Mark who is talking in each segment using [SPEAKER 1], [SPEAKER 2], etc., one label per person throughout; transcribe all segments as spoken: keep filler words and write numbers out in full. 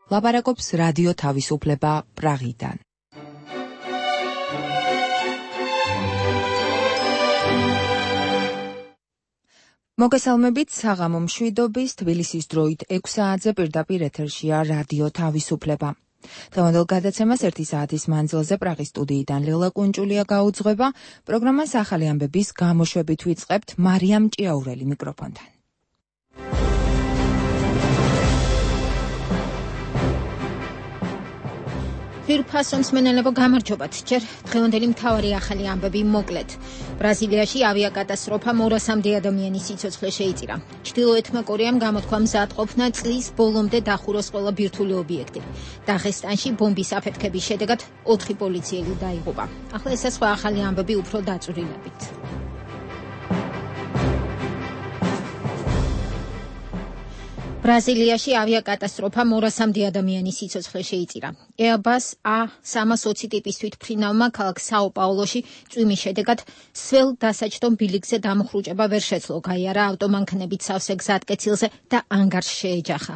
[SPEAKER 1] ლაპარაკობს რადიო თავისუფლება პრაღიდან. მოგესალმებით, საღამო მშვიდობის, თბილისის დროით ექვს საათზე პირდაპირ ეთერშია რადიო თავისუფლება. დღევანდელ გადაცემას ერთი საათის მანძილზე პრაღის სტუდიიდან ლელა კუნჭულია გაუძღვება. პროგრამას ახალი ამბების გამოშვებით ვიწყებთ მარიამ ჭიაურელი მიკროფონთან.
[SPEAKER 2] ფირფასონს მენელებო გამარჯობათ. ჯერ დღევანდელი მთავარი ახალი ამბები მოკლედ. ბრაზილიაში ავიაკატასტროფა მორასამდე ადამიანის სიცოცხლე შეიწირა. ჩრდილოეთმა კორეამ გამოთქვა მზადყოფნა წლის ბოლომდე დახუროს ყველა ბირთვული ობიექტი. დაღესტანში ბომბის აფეთქების შედეგად ოთხი პოლიციელი დაიღუპა. ახლა ეს სხვა ახალი ამბები უფრო დაწვრილებით. ბრაზილიაში ავიაკატასტროფა მორასამდე ადამიანის სიცოცხლე შეიწირა. Airbus A სამას ოცი ტიპის თვითმფრინავმა ქალაქ საო-პაულოში წვიმის შედეგად სველ დასაჯდომ ბილიკზე დამხრუჭება ვერ შეძლო, გაიარა ავტომანქანებით სავსე გზატკეცილზე და ანგარს შეეჯახა.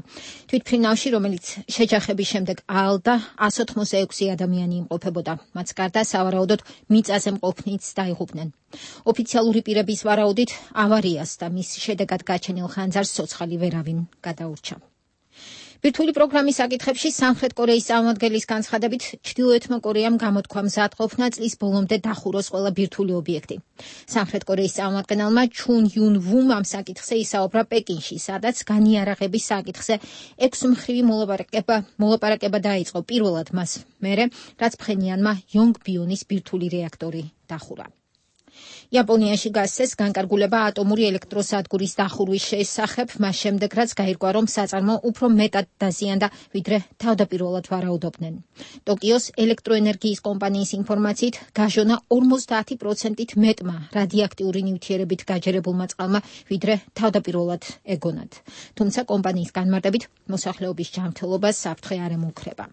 [SPEAKER 2] თვითმფრინავში, რომელიც შეჯახების შემდეგ აალდა, εκατს ოთხმოცდაექვსი ადამიანი იმყოფებოდა. მათ გარდა სავარაუდოდ მიწაზე მყოფნიც დაიღუპნენ. ოფიციალური პირების ვარაუდით ავარიას და მის შედეგად გაჩენილ ხანძარს ცოცხალი ვერავინ გადაურჩა. ბირთვული პროგრამის საკითხებში სამხრეთ კორეის წარმომადგენლის განცხადებით ჩრდილოეთმა კორეამ გამოთქვა მზადყოფნა წლის ბოლომდე დახუროს ყველა ბირთვული ობიექტი. სამხრეთ კორეის წარმომადგენელმა ჩუნ იუნ ვუმ ამ საკითხზე ისაუბრა პეკინში, სადაც განიარაღების საკითხზე ექვსმხრივი მოლაპარაკება მოლაპარაკება დაიწყო პირველად მას მერე, რაც ფხენიანმა იონგბიონის ბირთვული რეაქტორი დახურა. იაპონიაში გასცეს განკარგულება ატომური ელექტროსადგურის დახურვის შესახებ, მას შემდეგ რაც გაირკვა, რომ საწარმო უფრო მეტად დაზიანდა, ვიდრე თავდაპირველად ვარაუდობდნენ. ტოკიოს ელექტროენერგიის კომპანიის ინფორმაციით, გაჟონა ორმოცდაათი პროცენტით მეტმა რადიოაქტიური ნივთიერებით გაჯერებულმა წყალმა, ვიდრე თავდაპირველად ეგონათ. თუმცა კომპანიის განმარტებით, მოსახლეობის ჯანმრთელობას საფრთხე არ ემუქრება.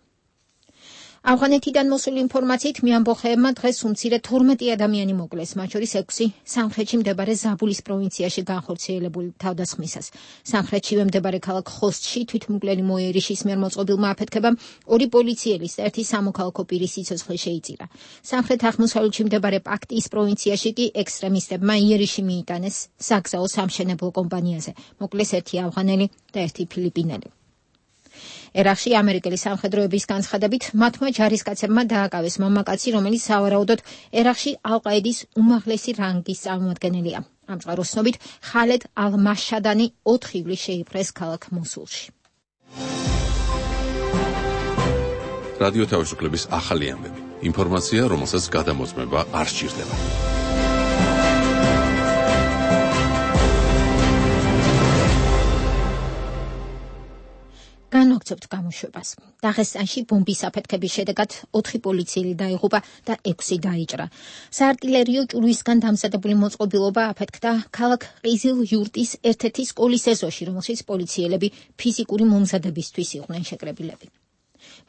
[SPEAKER 2] ავღანეთიდან მოსული ინფორმაციით მეამბოხეებმა დღეს უმცირე თორმეტი ადამიანი მოკლეს, მათ შორის ექვსი სამხრეთში მდებარე ზაბულის პროვინციაში განხორციელებულ თავდასხმისას. სამხრეთშივე მდებარე ქალაქ ხოსტში თვითმკვლელი მოიერიშის მიერ მოწყობილმა აფეთქებამ ორი პოლიციელის და ერთი სამოქალაქო პირის სიცოცხლე შეიწირა. სამხრეთ აღმოსავლეთში მდებარე პაქტიის პროვინციაში კი ექსტრემისტებმა იერიში მიიტანეს საგზაო სამშენებლო კომპანიაზე. მოკლეს ერთი ავღანელი და ერთი ფილიპინელი. ერაყში ამერიკელი სამხედროების განცხადებით მათმა ჯარისკაცებმა დააკავეს მამაკაცი, რომელიც სავარაუდოდ ერაყში ალ-ყაიდის უმაღლესი რანგის წარმომადგენელია. ამ წყაროს ცნობით ხალედ ალ-მაშადანი ოთხ ივლისს შეიპყრეს ქალაქ მოსულში.
[SPEAKER 3] რადიო თავისუფლების ახალი ამბები. ინფორმაცია, რომელსაც გადამოწმება არ სჭირდება.
[SPEAKER 2] განვაგრძობთ გამოშვებას. დაღესტანში ბომბის აფეთქების შედეგად ოთხი პოლიციელი დაიღუპა და ექვსი დაიჭრა. საარტილერიო ჭურვისგან დამზადებული მოწყობილობა აფეთქდა ქალაქ ყიზილ-იურტის ერთ-ერთი სკოლის ეზოში, რომელშიც პოლიციელები ფიზიკური მომზადებისთვის იყვნენ შეკრებილები.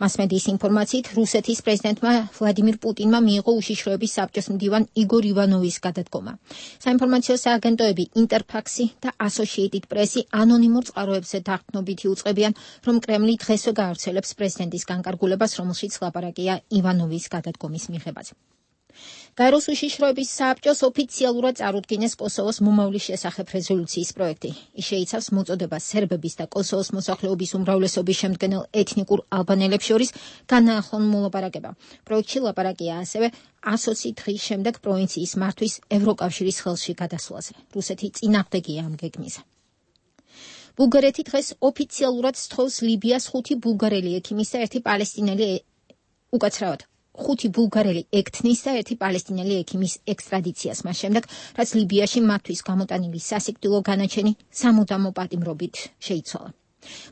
[SPEAKER 2] მასმედიის ინფორმაციით, რუსეთის პრეზიდენტმა ვლადიმირ პუტინმა მიიღო უშიშროების საბჭოს მდივან იგორ ივანოვის გადადგომა. საინფორმაციო სააგენტოები ინტერფაქსი და ასოციეიტედ პრესი ანონიმურ წყაროებზე დაღთნობით იუწყებიან, რომ კრემლი დღესვე გაავრცელებს პრეზიდენტის განკარგულებას, რომელშიც ლაპარაკია ივანოვის გადადგომის მიღებაზე. გაეროს უშიშროების საბჭოს ოფიციალურად წარუდგინეს კოსოვოს მომავლის შესახებ რეზოლუციის პროექტი. ის შეიცავს მოწოდებას სერბების და კოსოვოს მოსახლეობის უმრავლესობის შემდგენელ ეთნიკურ ალბანელებს შორის განაახლონ მოლაპარაკება. პროექტში ლაპარაკია ასევე ასოცი დღის შემდეგ პროვინციის მართვის ევროკავშირის ხელში გადასვლაზე. რუსეთი წინააღმდეგია ამ გეგმისა. ბულგარეთი დღეს ოფიციალურად სთხოვს ლიბიას ხუთი ბულგარელი ექიმის და ერთი პალესტინელი უკაცრავად. ხუთი ბულგარელი ექთნის და ერთი პალესტინელი ექიმის ექსტრადიციას, მას შემდეგ, რაც ლიბიაში მათთვის გამოტანილი სასიკვდილო განაჩენი სამუდამო პატიმრობით შეიცვალა.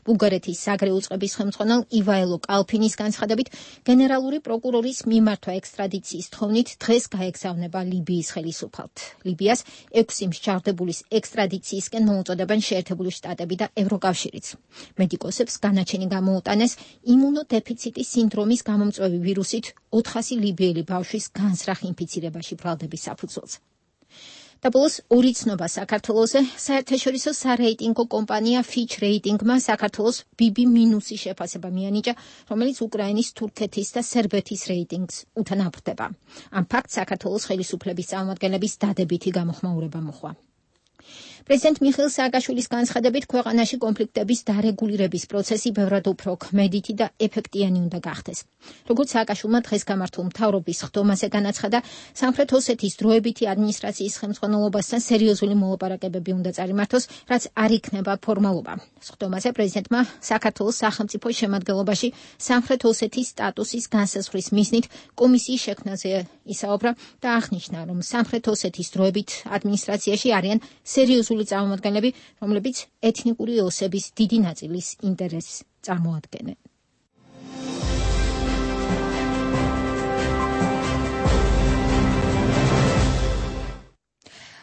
[SPEAKER 2] ბულგარეთის საგრეო წყების ხელმძღვანელ ივაილო კალფინის განცხადებით, გენერალური პროკურორის მიმართვა ექსტრადიციის თხოვნით დღეს გაეგზავნება ლიბიის ხელისუფალთ. ლიბიას ექვსი მსჯავრდებულის ექსტრადიციისკენ მოუწოდებენ შეერთებული შტატები და ევროკავშირიც. მედიკოსებს განაჩენი გამოუტანეს იმუნოდეფიციტის სინდრომის გამომწვევი ვირუსით ოთხასი ლიბიელი ბავშვის განზრახ ინფიცირებაში ბრალდების საფუძველზე. და ბოლოს ორი ცნობა საქართველოზე. საერთაშორისო სარეიტინგო კომპანია Fitch Rating-მა საქართველოს ბი ბი მინუსი შეფასება მიანიჭა, რომელიც უკრაინის, თურქეთის და სერბეთის რეიტინგს უთანაბრდება. ამ ფაქტს საქართველოს ხელისუფლების წარმომადგენლების დადებითი გამოხმაურება მოჰყვა. პრეზიდენტ მიხეილ სააკაშვილის განცხადებით, ქვეყანაში კონფლიქტების დარეგულირების პროცესი ბევრად უფრო ქმედითი და ეფექტიანი უნდა გახდეს. როგორც სააკაშვილმა დღეს გამართულ მთავრობის ხდომაზე განაცხადა, სამხრეთ ოსეთის დროებითი ადმინისტრაციის ხელმძღვანელობასთან სერიოზული მოლაპარაკებები უნდა წარიმართოს, რაც არ იქნება ფორმალობა. ხდომაზე პრეზიდენტმა საქართველოს სახელმწიფო შემადგენლობაში სამხრეთ ოსეთის სტატუსის განსაზღვრის მიზნით კომისიის შექმნაზე ისაუბრა და აღნიშნა, რომ სამხრეთ ოსეთის დროებით ადმინისტრაციაში არიან სერიოზული წარმომადგენლები, რომლებიც ეთნიკური ოსების დიდი ნაწილის ინტერესს წარმოადგენენ.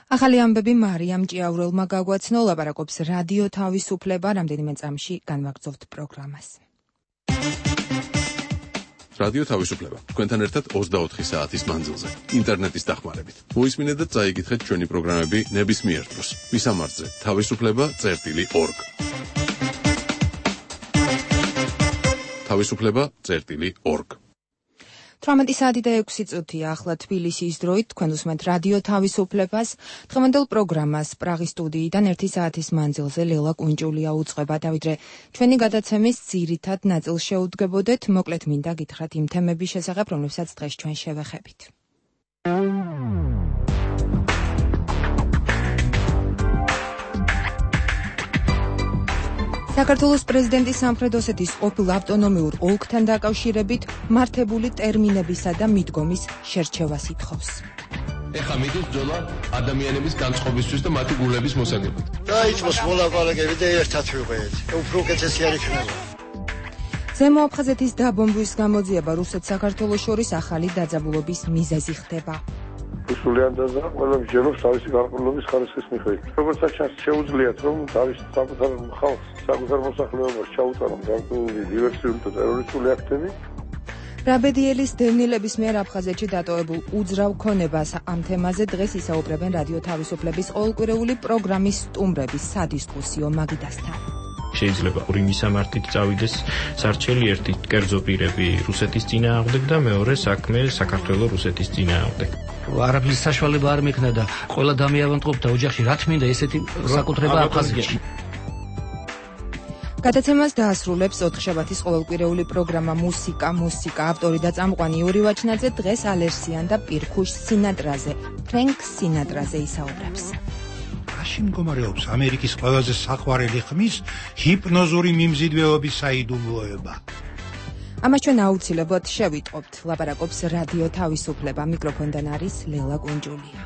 [SPEAKER 1] ახალი ამბები მარიამ ჭიაურელმა გაგვაცნო, ლაპარაკობს რადიო თავისუფლება, რამდენიმე წამში განვაგრძობთ პროგრამას.
[SPEAKER 3] რადიო თავისუფლება. თქვენთან ერთად ოცდაოთხი საათის მანძილზე, ინტერნეტის დახმარებით. მოისმინეთ და წაიკითხეთ ჩვენი პროგრამები ნებისმიერ დროს. ვისამართზე თავისუფლება წერტილი ორგ. თავისუფლება წერტილი ორგ.
[SPEAKER 1] თვრამეტი საათი და ექვსი წუთია ახლა თბილისის დროით, თქვენ უსმენთ რადიო თავისუფლებას. დღევანდელ პროგრამას პრაღის სტუდიიდან ერთი საათის მანძილზე ლელა კუნჭულია უძღვება, და ვიდრე ჩვენი გადაცემის ძირითად ნაწილს შეუდგებოდეთ, მოკლედ მინდა გითხრათ იმ თემების შესახებ, რომლებსაც დღეს ჩვენ შევეხებით. საქართველოს პრეზიდენტის სამხრეთ ოსეთის ყოფილ ავტონომიურ ოლქთან დაკავშირებით მართებული ტერმინებისა და მიდგომის შერჩევას ითხოვს.
[SPEAKER 4] ეხლა მიდის ბრძოლა ადამიანების განწყობისთვის და მათი გულების მოსაგებად.
[SPEAKER 5] დაიწყოს მოლაპარაკებები და ერთად ვიყვეთ. უფრო უკეთესი არ იქნება.
[SPEAKER 1] ზემო აფხაზეთის დაბომბვის გამოძიება რუსეთ-საქართველოს შორის ახალი დაძაბულობის მიზეზი ხდება.
[SPEAKER 6] სულიან დაზა ყველა მსჯელობს თავისი გარკვეულობის ხარისხის მიხედვით. როგორც ჩანს, შეუძლიათ რომ თავის საკუთარ ხალხს, საკუთარ მოსახლეობას ჩაუტარონ გარკვეული დივერსიული და ტერორისტული აქტები.
[SPEAKER 1] რაბედიელის დევნილების მიერ აფხაზეთში დატოვებულ უძრავ ქონებას ამ თემაზე დღეს ისაუბრებენ რადიო თავისუფლების ყოველკვირეული პროგრამის სტუმრების სადისკუსიო მაგიდასთან.
[SPEAKER 7] შეიძლება ორი მისამართით წავიდეს სარჩელი, ერთი კერძო პირები რუსეთის წინააღმდეგ და მეორე საქმე საქართველოს რუსეთის წინააღმდეგ.
[SPEAKER 8] არაფრის საშუალება არ მექნა და ყველა დამიავანტყოფდა ოჯახში, რა თმინდა ესეთი საკუთრება აფხაზეთში.
[SPEAKER 1] გადაცემას დაასრულებს ოთხშაბათის ყოველკვირეული პროგრამა მუსიკა, მუსიკა, ავტორი და წამყვანი იური ვაჩნაძე დღეს ალერსიან და პირქუშ სინატრაზე, ფრენკ სინატრაზე ისაუბრებს.
[SPEAKER 9] მაშინ მდგომარეობს ამერიკის ყველაზე საყვარელი ხმის ჰიპნოზური მიმზიდველობის საიდუმლოება.
[SPEAKER 1] ამას ჩვენ აუცილებლად შევიტყობთ, ლაპარაკობს რადიო თავისუფლება, მიკროფონიდან არის ლელა კუნჭულია.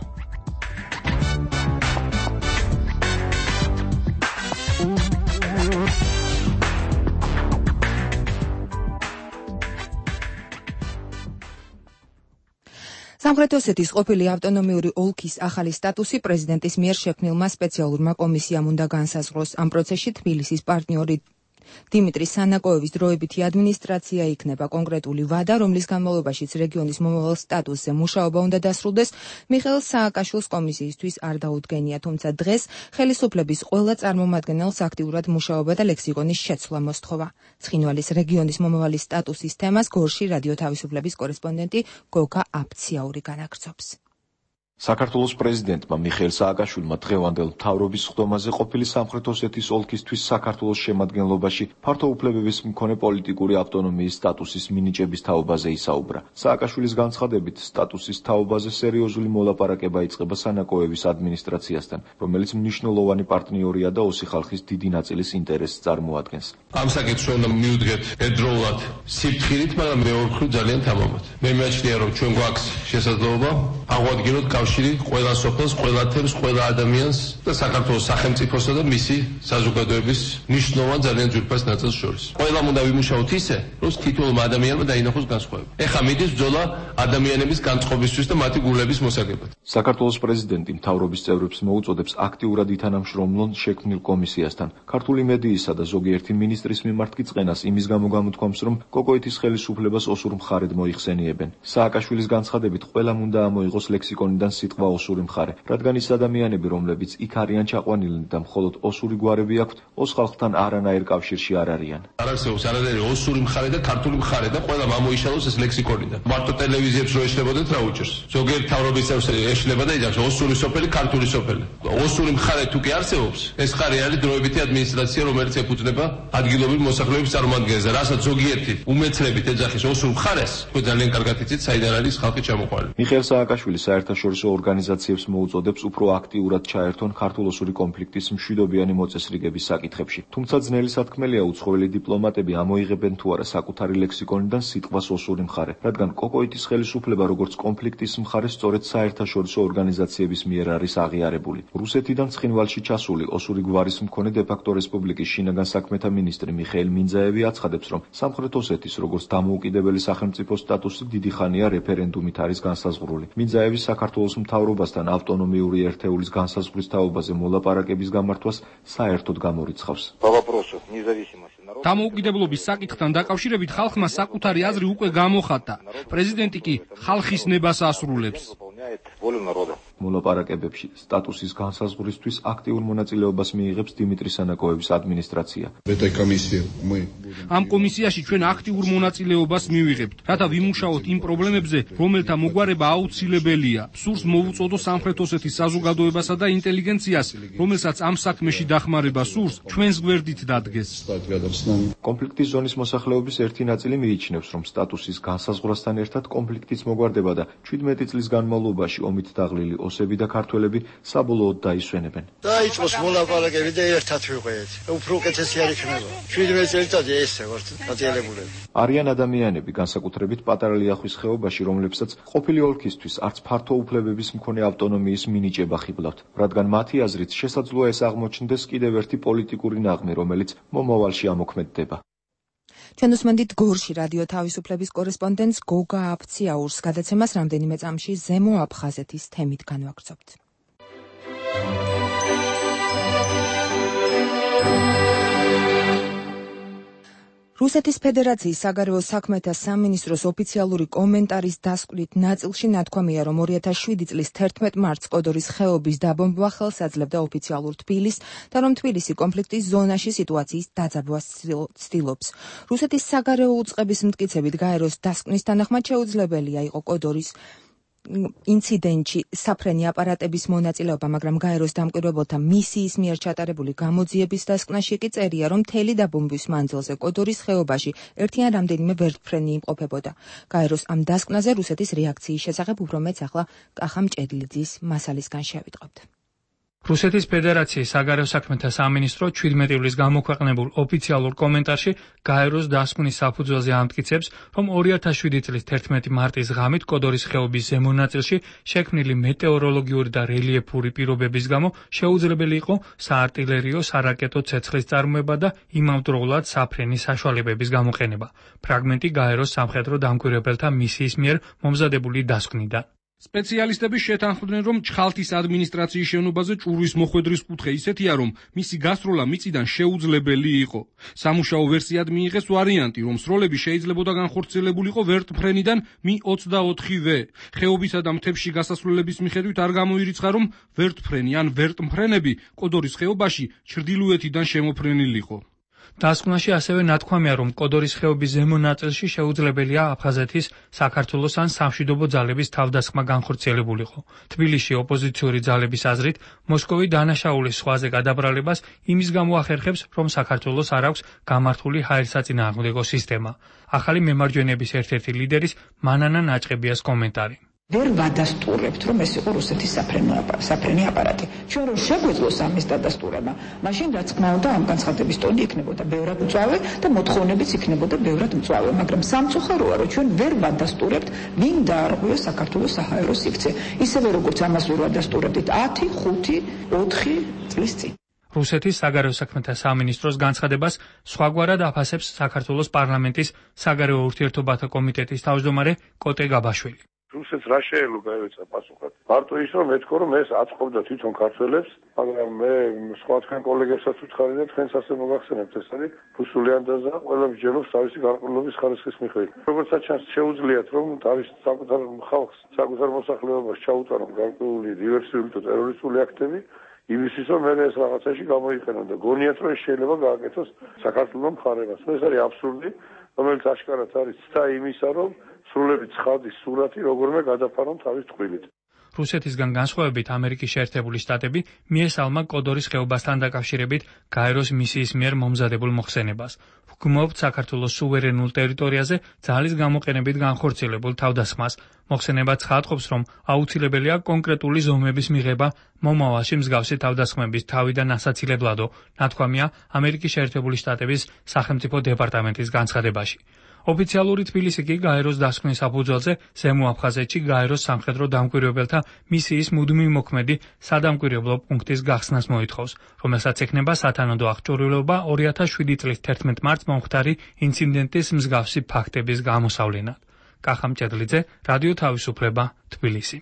[SPEAKER 1] სამხრეთ ოსეთის ყოფილი ავტონომიური ოლქის ახალი სტატუსი პრეზიდენტის მიერ შექმნილმა სპეციალურმა კომისიამ უნდა განსაზღვროს. ამ პროცესში თბილისის პარტნიორი დიმიტრი სანაკოევის დროებითი ადმინისტრაცია იქნება კონკრეტული ვადა, რომლის განმავლობაშიც რეგიონის მომავალ სტატუსზე მუშაობა უნდა დასრულდეს. მიხეილ სააკაშვილს კომისიისთვის არ დაუდგენია, თუმცა დღეს ხელისუფლების ყველა წარმომადგენელს აქტიურად მუშაობა და ლექსიკონის შეცვლა მოსთხოვა. ცხინვალის რეგიონის მომავალი სტატუსის თემას გორში რადიო თავისუფლების კორესპონდენტი გოგა აფციაური განაგრძობს.
[SPEAKER 10] საქართველოს პრეზიდენტმა მიხეილ სააკაშვილმა დღევანდელ მთავრობის ხდომაზე ყოფილი სამხრეთ ოსეთის ოლქისთვის საქართველოს შემადგენლობაში ფართო უფლებების მქონე პოლიტიკური ავტონომიის სტატუსის მინიჭების თაობაზე ისაუბრა. სააკაშვილის განცხადებით, სტატუსის თაობაზე სერიოზული მოლაპარაკება იწყება სანაკოევის ადმინისტრაციასთან, რომელიც მნიშვნელოვანი პარტნიორია და ოსი ხალხის დიდი ნაწილის ინტერესს წარმოადგენს.
[SPEAKER 4] ამ საკითხს უნდა მივუდგეთ ერთდროულად სიფრთხილით, მაგრამ მეორე მხრივ ძალიან თამამად. მე მეჩნია, რომ ჩვენ გვაქვს შესაძლებლობა აღვადგინოთ კავშირი ყველა სოფელს, ყველა თემს, ყველა ადამიანს და საქართველოს სახელმწიფოსა და მისი საზოგადოების მნიშვნელოვან ძალიან ძვირფას ნაწილს შორის. ყველამ უნდა ვიმუშაოთ ისე, რომ თითოეულმა ადამიანმა დაინახოს განსხვავება. ეხლა მიდის ბრძოლა ადამიანების განწყობისთვის და მათი გულების მოსაგებად.
[SPEAKER 10] საქართველოს პრეზიდენტი მთავრობის წევრებს მოუწოდებს აქტიურად ითანამშრომლონ შექმნილ კომისიასთან. ქართული მედიისა და ზოგიერთი მინისტრის მიმართ კი წყენას იმის გამო გამოთქვამს, რომ კოკოეთის ხელისუფლებას ოსურ მხარედ მოიხსენიებენ. სააკაშვილის განცხადებით, ყველამ უნდა ამოიღოს ლექსიკონიდან სიტყვა ოსური მხარე, რადგან ის ადამიანები, რომლებიც იქ არიან ჩაყვანილნი და მხოლოდ ოსური გვარები აქვთ, ოს ხალხთან არანაირ კავშირში არ არიან.
[SPEAKER 4] არ არსებობს არანაირი ოსური მხარე და ქართული მხარე და ყველა მომოიშალოს ეს ლექსიკონიდან. მარტო ტელევიზიებს რო ეშლებოდეთ რა უჭერს. ზოგიერთ თავრობის წევრს ეშლება და იძახს ოსური სოფელი, ქართული სოფელი. ოსური მხარე თუ კი არსებობს, ეს ხარი არის დროებითი ადმინისტრაცია, რომელიც ეფუძნება ადგილობრივ მოსახლეობის წარმოადგენს და რასაც ზოგიერთი უმეცრებით ეძახის ოსურ მხარეს, თქვენ ძალიან კარგად იცით, საიდან არის ხალხი ჩამოყვანილი.
[SPEAKER 10] მიხეილ სააკაშვილი საერთაშორისო ორგანიზაციებს მოუწოდებს უფრო აქტიურად ჩაერთონ ქართულ-ოსური კონფლიქტის მშვიდობიანი მოწესრიგების საკითხებში. თუმცა ძნელი სათქმელია უცხოელი დიპლომატები ამოიღებენ თუ არა საკუთარი ლექსიკონიდან სიტყვას ოსური მხარე, რადგან კოკოიტის ხელისუფლება როგორც კონფლიქტის მხარე სწორედ საერთაშორისო ორგანიზაციების მიერ არის აღიარებული. რუსეთიდან ცხინვალში ჩასული ოსური გვარის მქონე დე-ფაქტო რესპუბლიკის შინაგან საქმეთა მინისტრი მიხეილ მინძაევი აცხადებს, რომ სამხრეთ ოსეთის როგორც დამოუკიდებელი სახელმწიფო სტატუსი დიდი ხანია რეფერენდუმით არის განსაზღვრული. მინძაევი საქართველოს მთავრობასთან ავტონომიური ერთეულის განსაზღვრის თაობაზე მოლაპარაკების გამართვას საერთოდ გამორიცხავს.
[SPEAKER 11] დამოუკიდებლობის საკითხთან დაკავშირებით ხალხმა საკუთარი აზრი უკვე გამოხატა. პრეზიდენტი კი ხალხის ნებას ასრულებს.
[SPEAKER 10] მოლაპარაკებებში სტატუსის განსაზღვრისთვის აქტიურ მონაწილეობას მიიღებს დიმიტრი სანაკოევის ადმინისტრაცია.
[SPEAKER 11] ამ კომისიაში ჩვენ აქტიურ მონაწილეობას მივიღებთ, რათა ვიმუშაოთ იმ პრობლემებზე, რომელთა მოგვარება აუცილებელია. სურს მოვუწოდო სამხრეთ ოსეთის საზოგადოებასა და ინტელიგენციას, რომელსაც ამ საქმეში დახმარება სურს, ჩვენს გვერდით დადგეს.
[SPEAKER 10] კონფლიქტის ზონის მოსახლეობის ერთი ნაწილი მიიჩნევს, რომ სტატუსის განსაზღვრასთან ერთად კონფლიქტის მოგვარდება და ჩვიდმეტი წლის განმავლობაში ომით დაღლილი ოსები და ქართველები საბოლოოდ დაისვენებენ.
[SPEAKER 5] დაიწყოს მოლაპარაკები და ერთად ვიყვეთ. უფრო უკეთესი არ იქნება. შვიდმეტი წელიწადი ესე ვართ გაწიელებულები.
[SPEAKER 10] არიან ადამიანები, განსაკუთრებით პატარა ლიახვის ხეობაში, რომლებსაც ყოფილი ოლქისთვის არც ფართო უფლებების მქონე ავტონომიის მინიჭება ხიბლავთ, რადგან მათი აზრით შესაძლოა ეს აღმოჩნდეს კიდევ ერთი პოლიტიკური ნაღმი, რომელიც მომავალში ამოქმედდება.
[SPEAKER 1] ჩვენ უსმენთ გორში რადიო თავისუფლების კორესპონდენტს გოგა აფციაურს, გადაცემას რამდენიმე წამში ზემო აფხაზეთის თემით განვაგრძობთ. რუსეთის ფედერაციის საგარეო საქმეთა სამინისტროს ოფიციალური კომენტარის დასკვნით ნაწილში ნათქვამია, რომ ორი ათას შვიდი წლის თერთმეტ მარტს კოდორის ხეობის დაბომბვა ხელს აძლევდა ოფიციალურ თბილისს და რომ თბილისი კონფლიქტის ზონაში სიტუაციის დაძაბვას ცდილობს. რუსეთის საგარეო უწყების მტკიცებით გაეროს დასკვნის თანახმად შეუძლებელია იყო კოდორის ინციდენტში საფრენი აპარატების მონაწილეობა, მაგრამ გაეროს დამკვირვებელთა მისიის მიერ ჩატარებული გამოძიების დასკვნაში კი წერია, რომ მთელი დაბომბვის მანძილზე კოდორის ხეობაში ერთი ან რამდენიმე ვერტმფრენი იმყოფებოდა. გაეროს ამ დასკვნაზე რუსეთის რეაქციის შესახებ უფრო მეც ახლა კახა მჭედლიძის მასალისგან შევიტყობთ.
[SPEAKER 11] რუსეთის ფედერაციის საგარეო საქმეთა სამინისტრო ჩვიდმეტი ივლისს გამოქვეყნებულ ოფიციალურ კომენტარში გაეროს დასკვნის საფუძველზე ამტკიცებს, რომ ორი ათას შვიდი წლის თერთმეტი მარტის ღამით კოდორის ხეობის ზემო ნაწილში შექმნილი მეტეოროლოგიური და რელიეფური პირობების გამო შეუძლებელი იყო საარტილერიო, სარაკეტო ცეცხლის წარმოება და იმავდროულად საფრენი საშუალებების გამოყენება. ფრაგმენტი გაეროს სამხედრო დამკვირვებელთა მისიის მიერ მომზადებული დასკვნიდან. სპეციალისტები შეთანხმდნენ, რომ ჩხალთის ადმინისტრაციის შენობაზე ჭურვის მოხვედრის კუთხე ისეთია, რომ მისი გასროლა მიწიდან შეუძლებელი იყო. სამუშაო ვერსიად მიიღეს ვარიანტი, რომ სროლები შეიძლებოდა განხორციელებულიყო ვერტმფრენიდან მი ოცდაოთხი ვე. ხეობისა და მთებში გასასვლელების მიხედვით არ გამოირიცხა, რომ ვერტმფრენი ან ვერტმფრენები კოდორის ხეობაში ჩრდილოეთიდან შემოფრენილიყო. დასკვნაში ასევე ნათქვამია, რომ კოდორის ხეობის ზემო ნაწილში შეუძლებელია აფხაზეთის, საქართველოს ან სამშვიდობო ძალების თავდასხმა განხორციელებულიყო. თბილისში ოპოზიციური ძალების აზრით, მოსკოვი დანაშაულის ზღვაზე გადაბრალებას იმის გამო ახერხებს, რომ საქართველოს არ აქვს გამართული ჰაერსაწინააღმდეგო სისტემა. ახალი მემარჯვენეების ერთ-ერთი ლიდერის მანანა ნაჭყებიას კომენტარი.
[SPEAKER 12] ვერ ვადასტურებთ, რომ ეს იყო რუსეთის საფრენი აპარატი. ჩვენ რომ შეგვეძლოს ამის დადასტურება, მაშინ რაც თქმა უნდა ამ განცხადების ტონი იქნებოდა ბევრად მწვავე და მოთხოვნებიც იქნებოდა ბევრად მწვავე, მაგრამ სამწუხაროა, რომ ჩვენ ვერ ვადასტურებთ, ვინ დაარღვია საქართველოს საჰაერო სივრცე, ისევე როგორც ამას ვერ ვადასტურებთ ათი, ხუთი, ოთხი წლის წინ.
[SPEAKER 11] რუსეთის საგარეო საქმეთა სამინისტროს განცხადებას სხვაგვარად აფასებს საქართველოს პარლამენტის საგარეო ურთიერთობათა კომიტეტის თავმჯდომარე კოტე გაბაშვილი.
[SPEAKER 6] რუსეთს რა შეელუგა ეცა პასუხად. მარტო ის რომ მეთქო რომ ეს აწყობდა თვითონ ქართველებს, მაგრამ მე სხვა თქვენ კოლეგებსაც ვუთხარი და თქვენს ასე მოგახსენებთ, ეს არის რუსული ანდაზა, ყველა მსჯელობს თავისი გარკვეულობის ხარისხის მიხედვით. როგორცაც ჩანს შეუძლიათ რომ თავის საკუთარ ხალხს, საკუთარ მოსახლეობას ჩაუტარონ გარკვეული დივერსიული თუ ტერორისტული აქტები, იმისთვის რომ მე ეს რაღაცაში გამოიყენონ და გონიათ რომ შეიძლება გააკეთოს საქართველოს მხარებას. ეს არის აბსურდი, რომელიც აშკარად არის ცდა იმისა, რომ სრულებით ცხადის სურათი როგორმე გადაფარონ თავის ტყუილით.
[SPEAKER 11] რუსეთისგან განსხვავებით ამერიკის შეერთებული შტატები მიესალმა კოდორის ხეობასთან დაკავშირებით გაეროს მისიის მიერ მომზადებულ მოხსენებას. ვგმობთ საქართველოს სუვერენულ ტერიტორიაზე ძალის გამოყენებით განხორციელებულ თავდასხმას. მოხსენება ცხადყოფს, რომ აუცილებელია კონკრეტული ზომების მიღება მომავალში მსგავსი თავდასხმების თავიდან ასაცილებლადო, ნათქვამია ამერიკის შეერთებული შტატების სახელმწიფო დეპარტამენტის განცხადებაში. ოფიციალური თბილისი კი გაეროს დასკვნის საფუძველზე ზემო აფხაზეთში გაეროს სამხედრო დამკვირვებელთა მისიის მუდმივი მოქმედი სადამკვირვებლო პუნქტის გახსნას მოითხოვს, რომელსაც ექნება სათანადო აღჭურვილობა ორი ათას შვიდი წლის თერთმეტ მარტს მომხდარი ინციდენტის მსგავსი ფაქტების გამოსავლენად. კახა მჭედლიძე, რადიო თავისუფლება, თბილისი.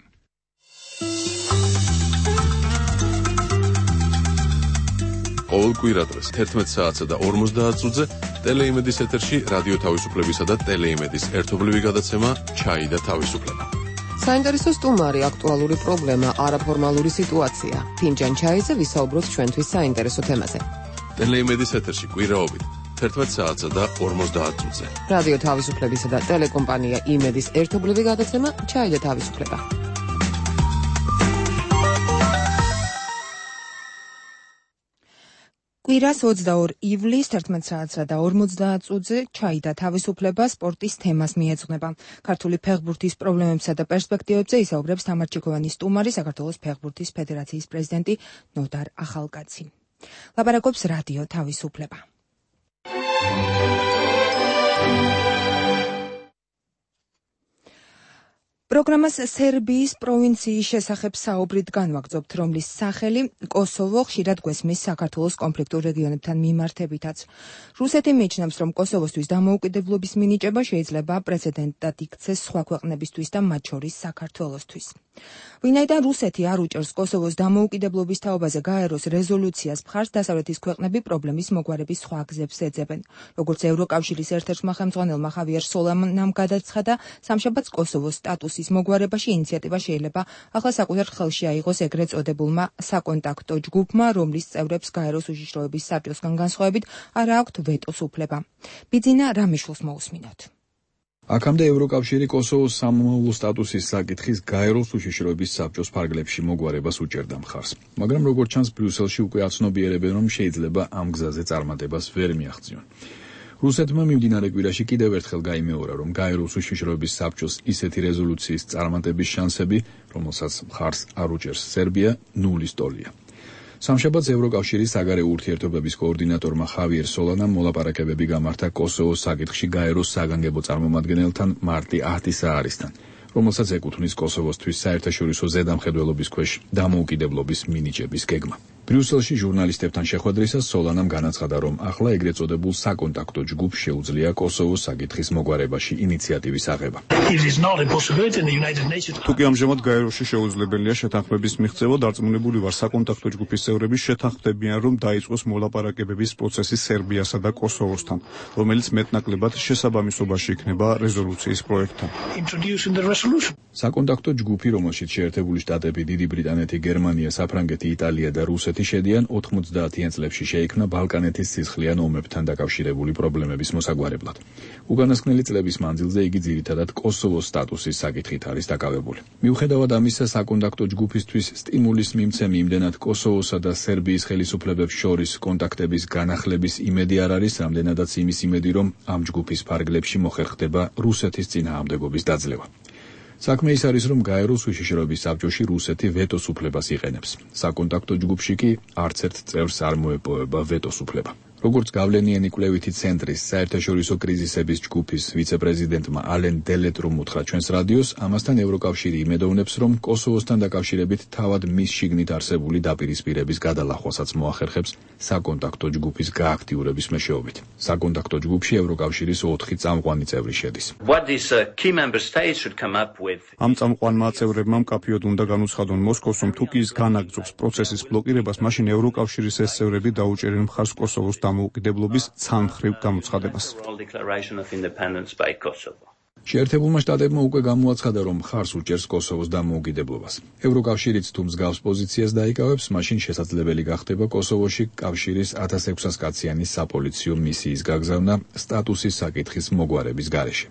[SPEAKER 3] ყოველ კვირადღეს თერთმეტ საათსა და ორმოცდაათ წუთზე ტელეიმედის ეთერში რადიო თავისუფლებისა და ტელეიმედის ერთობლივი გადაცემა ჩაი და თავისუფლება.
[SPEAKER 13] საინტერესო სტუმარი, აქტუალური პრობლემა, არაფორმალური სიტუაცია. ფინჯან ჩაიზე ვისაუბროთ ჩვენთვის საინტერესო თემაზე.
[SPEAKER 3] ტელეიმედის ეთერში კვირაობით თერთმეტ საათსა და ორმოცდაათ წუთზე.
[SPEAKER 13] რადიო თავისუფლებისა და ტელეკომპანია იმედის ერთობლივი გადაცემა ჩაი და თავისუფლება.
[SPEAKER 1] კვირას ოცდაორი ივლისს თერთმეტ საათსა და ორმოცდაათ წუთზე ჩაი და თავისუფლება სპორტის თემას მიეძღვნება. ქართული ფეხბურთის პრობლემებსა და პერსპექტივებზე ისაუბრებს თამარ-ჩიქოვანის სტუმარი, საქართველოს ფეხბურთის ფედერაციის პრეზიდენტი ნოდარ ახალკაცი. ლაპარაკობს რადიო თავისუფლება. პროგრამას სერბიის პროვინციის შესახებ საუბრით განვაგრძობთ, რომლის სახელი კოსოვო ხშირად გვესმის საქართველოს კონფლიქტურ რეგიონებთან მიმართებითაც. რუსეთი მიიჩნევს, რომ კოსოვოსთვის დამოუკიდებლობის მინიჭება შეიძლება პრეცედენტად იქცეს სხვა ქვეყნებისთვის და მათ შორის საქართველოსთვის. ვინაიდან რუსეთი არ უჭერს კოსოვოს დამოუკიდებლობის თაობაზე გაეროს რეზოლუციას მხარს, დასავლეთის ქვეყნები პრობლემის მოგვარების სხვა გზებს ეძებენ. როგორც ევროკავშირის ერთ-ერთმა ხელმძღვანელმა ხავიერ სოლანამ გადაცხადა, სამშაბათს კოსოვოს სტატუსის მოგვარებაში ინიციატივა შეიძლება ახლა საკუთარ ხელში აიღოს ეგრეთ წოდებულმა საკონტაქტო ჯგუფმა, რომლის წევრებს გაეროს უშიშროების საბჭოსგან განსხვავებით არ აქვთ ვეტოს უფლება. ბიძინა რამიშვილს მოусმინოთ.
[SPEAKER 14] აქამდე ევროკავშირი კოსოვოს სამომავლო სტატუსის საკითხის გაეროს უშიშროების საბჭოს ფარგლებში მოგვარებას უჭერდა მხარს. მაგრამ როგორც ჩანს, ბრიუსელში უკვე აცნობიერებენ, რომ შეიძლება ამ გზაზე წარმატებას ვერ მიაღწიონ. რუსეთმა მიმდინარე კვირაში კიდევ ერთხელ გაიმეორა, რომ გაეროს უშიშროების საბჭოს ისეთი რეზოლუციის წარმატების შანსები, რომელსაც მხარს არ უჭერს სერბია, ნულის ტოლია. სამშაბათს ევროკავშირის საგარეო ურთიერთობების კოორდინატორმა ხავიერ სოლანამ მოლაპარაკებები გამართა კოსოვოს საკითხში გაეროს საგანგებო წარმომადგენელთან მარტი ათისაარისთან, რომელსაც ეკუთვნის კოსოვოსთვის საერთაშორისო ზედამხედველობის ქვეშ დამოუკიდებლობის მინიჭების გეგმა. ბრიუსელში ჟურნალისტებთან შეხვედრისას სოლანამ განაცხადა, რომ ახლა ეგრეთ წოდებულ საკონტაქტო ჯგუფს შეუძლია კოსოვოს საკითხის მოგვარებაში ინიციატივის აღება.
[SPEAKER 15] თუკი ამჟამად გაეროში შეუძლებელია შეთანხმების მიღწევა, დარწმუნებული ვარ საკონტაქტო ჯგუფის წევრები შეთანხმდებიან, რომ დაიწყოს მოლაპარაკებების პროცესი სერბიასა და კოსოვოსთან, რომელიც მეტნაკლებად შესაბამისობაში იქნება რეზოლუციის პროექტთან.
[SPEAKER 14] საკონტაქტო ჯგუფი, რომელშიც შეერთებული შტატები, დიდი ბრიტანეთი, გერმანია, საფრანგეთი, იტალია და რუსეთი შედიან, ოთხმოცდაათიან წლებში შეიქმნა ბალკანეთის სისხლიან ომებთან დაკავშირებული პრობლემების მოსაგვარებლად. უკანასკნელი წლების მანძილზე იგი ძირითადად კოსოვოს სტატუსის საკითხით არის დაკავებული. მიუხედავად ამისა, საკონტაქტო ჯგუფისთვის სტიმულის მიმცემი იმდენად კოსოვოსა და სერბიის ხელისუფლებებს შორის კონტაქტების განახლების იმედი არ არის, რამდენადაც იმის იმედი, რომ ამ ჯგუფის ფარგლებში მოხერხდება რუსეთის წინააღმდეგობის დაძლევა. საქმე ის არის, რომ გაეროს უშიშროების საბჭოში რუსეთი ვეტოს უფლებას იყენებს. საკონტაქტო ჯგუფში კი არც ერთ წევრს არ მოეპოვება ვეტოს უფლება. როგორც გავლენიანი კვლევითი ცენტრის საერთაშორისო კრიზისების ჯგუფის ვიცე-პრეზიდენტმა ალენ დელეტრუმ უთხრა ჩვენს რადიოს, ამასთან ევროკავშირი იმედოვნებს, რომ კოსოვოსთან დაკავშირებით თავად მის შიგნით არსებული დაპირისპირების გადალახვასაც მოახერხებს საკონტაქტო ჯგუფის გააქტიურების მეშვეობით. საკონტაქტო ჯგუფში ევროკავშირის ოთხი წამყვანი წევრი შედის.
[SPEAKER 15] ამ წამყვანმა წევრებმა მკაფიოდ უნდა განუცხადონ მოსკოვს, რომ თუ კი ის განაგრძობს პროცესის ბლოკირებას, მაშინ ევროკავშირის ეს წევრები დაუჭერენ მხარს კოსოვოს დამოუკიდებლობის ცალმხრივ გამოცხადებას.
[SPEAKER 14] შეერთებულმა შტატებმა უკვე გამოაცხადა, რომ მხარს უჭერს კოსოვოს დამოუკიდებლობას. ევროკავშირიც თუ მსგავს პოზიციას დაიკავებს, მაშინ შესაძლებელი გახდება კოსოვოში კავშირის ათას ექვსას კაციანი საპოლიციო მისიის გაგზავნა სტატუსის საკითხის მოგვარების გარეშე.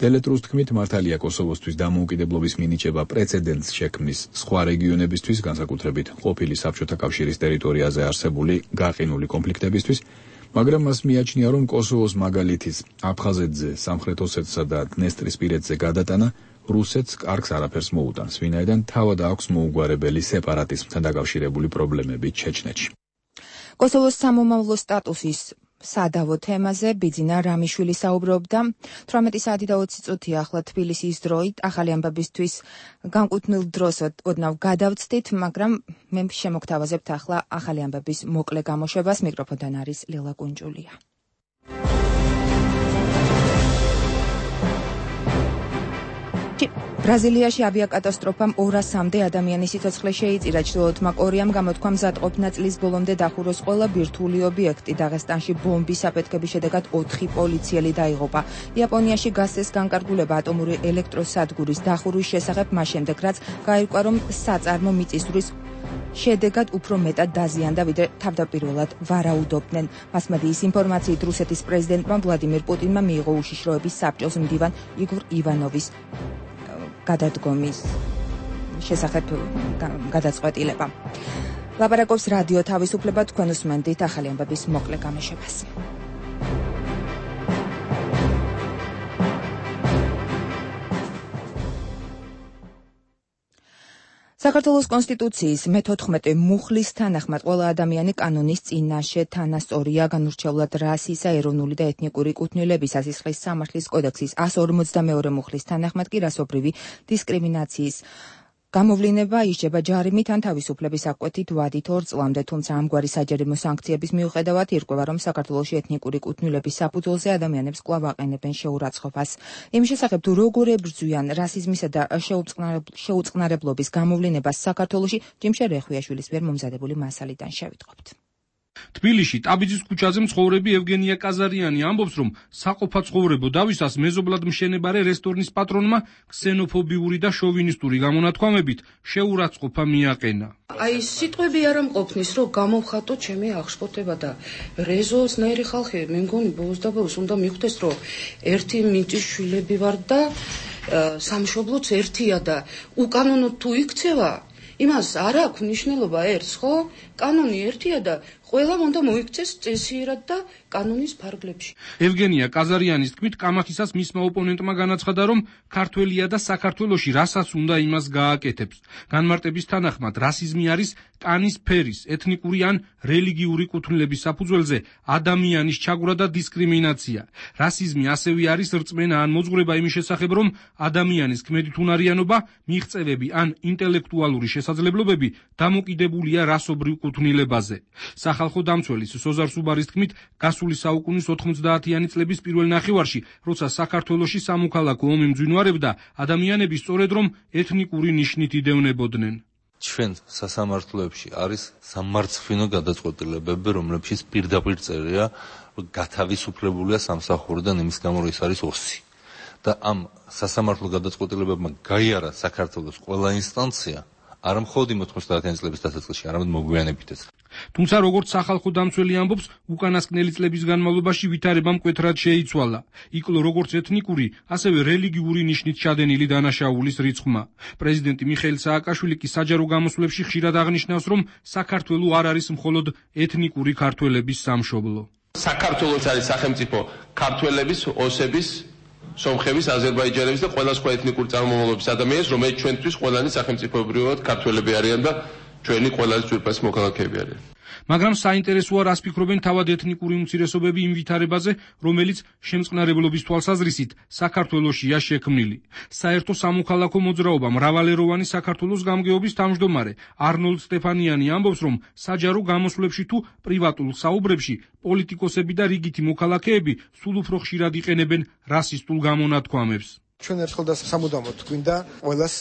[SPEAKER 14] დელეტრუს თქმით, მართალია კოსოვოსთვის დამოუკიდებლობის მინიჭება პრეცედენტს შექმნის სხვა რეგიონებისთვის, განსაკუთრებით ყოფილი საბჭოთა კავშირის ტერიტორიაზე არსებული გაყინული კონფლიქტებისთვის, მაგრამ მას მიაჩნია, რომ კოსოვოს მაგალითის აფხაზეთზე, სამხრეთ ოსეთსა და დნესტრისპირეთზე გადატანა რუსეთს კარგს არაფერს მოუტანს, ვინაიდან თავად აქვს მოუგვარებელი სეპარატიზმთან დაკავშირებული პრობლემები ჩეჩნეთში.
[SPEAKER 1] კოსოვოს სამომავლო სტატუსის სადავო თემაზე ბიძინა რამიშვილი საუბრობდა. თვრამეტი საათი და ოცი წუთი ახლა თბილისის დროით ახალი ამბებისთვის განკუთვნილ დროს ოდნავ გადავწდით, მაგრამ მე შემოგთავაზებთ ახლა ახალი ამბების მოკლე გამოშვებას. მიკროფონთან არის ლელა კუნჯულია. ბრაზილიაში ავიაკატასტროფამ ორასამდე ადამიანის სიცოცხლე შეიწირა. ჩრდილოეთმა კორეამ გამოთქვა მზადყოფნა წლის ბოლომდე დახუროს ყველა ბირთვული ობიექტი. დაღესტანში ბომბის აფეთქების შედეგად ოთხი პოლიციელი დაიღუპა. იაპონიაში გასცეს განკარგულება ატომური ელექტროსადგურის დახურვის შესახებ, მას შემდეგ რაც გაირკვა, რომ საწარმო მიწისძვრის შედეგად უფრო მეტად დაზიანდა, ვიდრე თავდაპირველად ვარაუდობდნენ. მასმედიის ინფორმაციით რუსეთის პრეზიდენტმა ვლადიმირ პუტინმა მიიღო უშიშროების საბჭოს მდივან იგორ ივანოვის გადადგომის შესახებ გადაწყვეტილება. ლაპარაკობს რადიო თავისუფლება, თქვენ უსმენთ ახალი ამბების მოკლე გამოშვებას. საქართველოს კონსტიტუციის მეთოთხმეტე მუხლის თანახმად ყველა ადამიანი კანონის წინაშე თანასწორია. განურჩევლად რასისა, ეროვნული და ეთნიკური კუთვნილების, სასისხლის სამართლის კოდექსის εκατს ორმოცდამეორე მუხლის თანახმად კი რასობრივი დისკრიმინაციის გამოვლინება ისჯება ჯარიმით ან თავისუფლების აღკვეთით ვადით ორ წლამდე, თუმცა ამგვარი საჯარიმო სანქციების მიუხედავად ირკვევა, რომ საქართველოში ეთნიკური კუთვნილების საფუძველზე ადამიანებს კვლავ აყენებენ შეურაცხყოფას. იმ შესახებ თუ როგორ ებრძვიან რასიზმისა და შეუწყნარებლობის გამოვლინებას საქართველოში, ჯიმშე რეხვიაშვილის მიერ მომზადებული მასალიდან შევიტყობთ.
[SPEAKER 16] თბილისში ტაბიძის ქუჩაზე მცხოვრები ევგენია კაზარიანი ამბობს, რომ საყოფაცხოვრებო დავისას მეზობლად მშენებარე რესტორნის პატრონმა ქსენოფობიური და შოვინისტური გამონათქვამებით შეურაცხყოფა მიაყენა.
[SPEAKER 17] აი სიტყვები არ ამყოფნის, რომ გამოვხატო ჩემი აღშფოთება და რეზოლსნაირი ხალხი, მე მგონი ბოლოს და ბოლოს უნდა მიხვდეს, რომ ერთი მიწის შვილები ვარ და სამშობლოც ერთია და უკანონოდ თუ იქცევა, იმას არ აქვს მნიშვნელობა ერთს, ხო? კანონი ერთია და ყველამ უნდა მოიქცეს წესიერად და კანონის ფარგლებში.
[SPEAKER 16] ევგენია კაზარიანის თქმით, კამათისას მისმა ოპონენტმა განაცხადა, რომ ქართველია და საქართველოში რასაც უნდა იმას გააკეთებს. განმარტების თანახმად, რასიზმი არის კანის ფერის, ეთნიკური ან რელიგიური კუთვნილების საფუძველზე ადამიანის ჩაგვრა და დისკრიმინაცია. რასიზმი ასევე არის რწმენა ან მოძღვრება იმის შესახებ, რომ ადამიანის ქმედითუნარიანობა, მიღწევები ან ინტელექტუალური შესაძლებლობები დამოკიდებულია რასობრივ კუთვნილებაზე. სახალხო დამცველის სოზარ სუბარის თქმით, გასული საუკუნის ოთხმოცდაათიანი წლების პირველ ნახევარში, როცა საქართველოში სამოქალაქო ომი მძვინვარებდა, ადამიანები სწორედ რომ ეთნიკური ნიშნით იდევნებოდნენ.
[SPEAKER 18] ჩვენ სასამართლოებში არის სამარცხვინო გადაწყვეტილებები, რომლებშიც პირდაპირ წერია, რომ გათავისუფლებულია სამსახურიდან იმის გამო, რომ ის არის ოსი. და ამ სასამართლო გადაწყვეტილებებმა გაიარა საქართველოს ყველა ინსტანცია, არა მხოლოდ ოთხმოცდაათიანი წლების დასაწყისში, არამედ მოგვიანებითაც.
[SPEAKER 16] თუმცა როგორც სახალხო დამცველი ამბობს, უკანასკნელი წლების განმავლობაში ვითარება მკვეთრად შეიცვალა. იკლო როგორც ეთნიკური, ასევე რელიგიური ნიშნით ჩადენილი დანაშაულის რიცხვმა. პრეზიდენტი მიხეილ სააკაშვილი კი საჯარო გამოსვლებში ხშირად აღნიშნავს, რომ საქართველო არ არის მხოლოდ ეთნიკური ქართველების სამშობლო.
[SPEAKER 4] საქართველოს არის სახელმწიფო ქართველების, ოსების, სომხების, აზერბაიჯანების და ყველა სხვა ეთნიკური წარმომავლობის ადამიანის, რომელიც ჩვენთვის ყველანი სახელმწიფოებრივად ქართველები არიან და ჩვენი ყველაზე ძვირფასი მოქალაქეები არიან.
[SPEAKER 16] მაგრამ საინტერესოა რას ფიქრობენ თავად ეთნიკური უმცირესობები იმ ვითარებაზე, რომელიც შემწყნარებლობის თვალსაზრისით საქართველოშია შექმნილი. საერთო სამოქალაქო მოძრაობა მრავალეროვანი საქართველოს გამგეობის თავმჯდომარე არნოლდ სტეფანიანი ამბობს, რომ საჯარო გამოსვლებში თუ პრივატულ საუბრებში პოლიტიკოსები და რიგითი მოქალაქეები სულ უფრო ხშირად იყენებენ რასისტულ გამონათქვამებს.
[SPEAKER 19] ჩვენ ერთხელ და სამუდამოდ გვინდა ყველას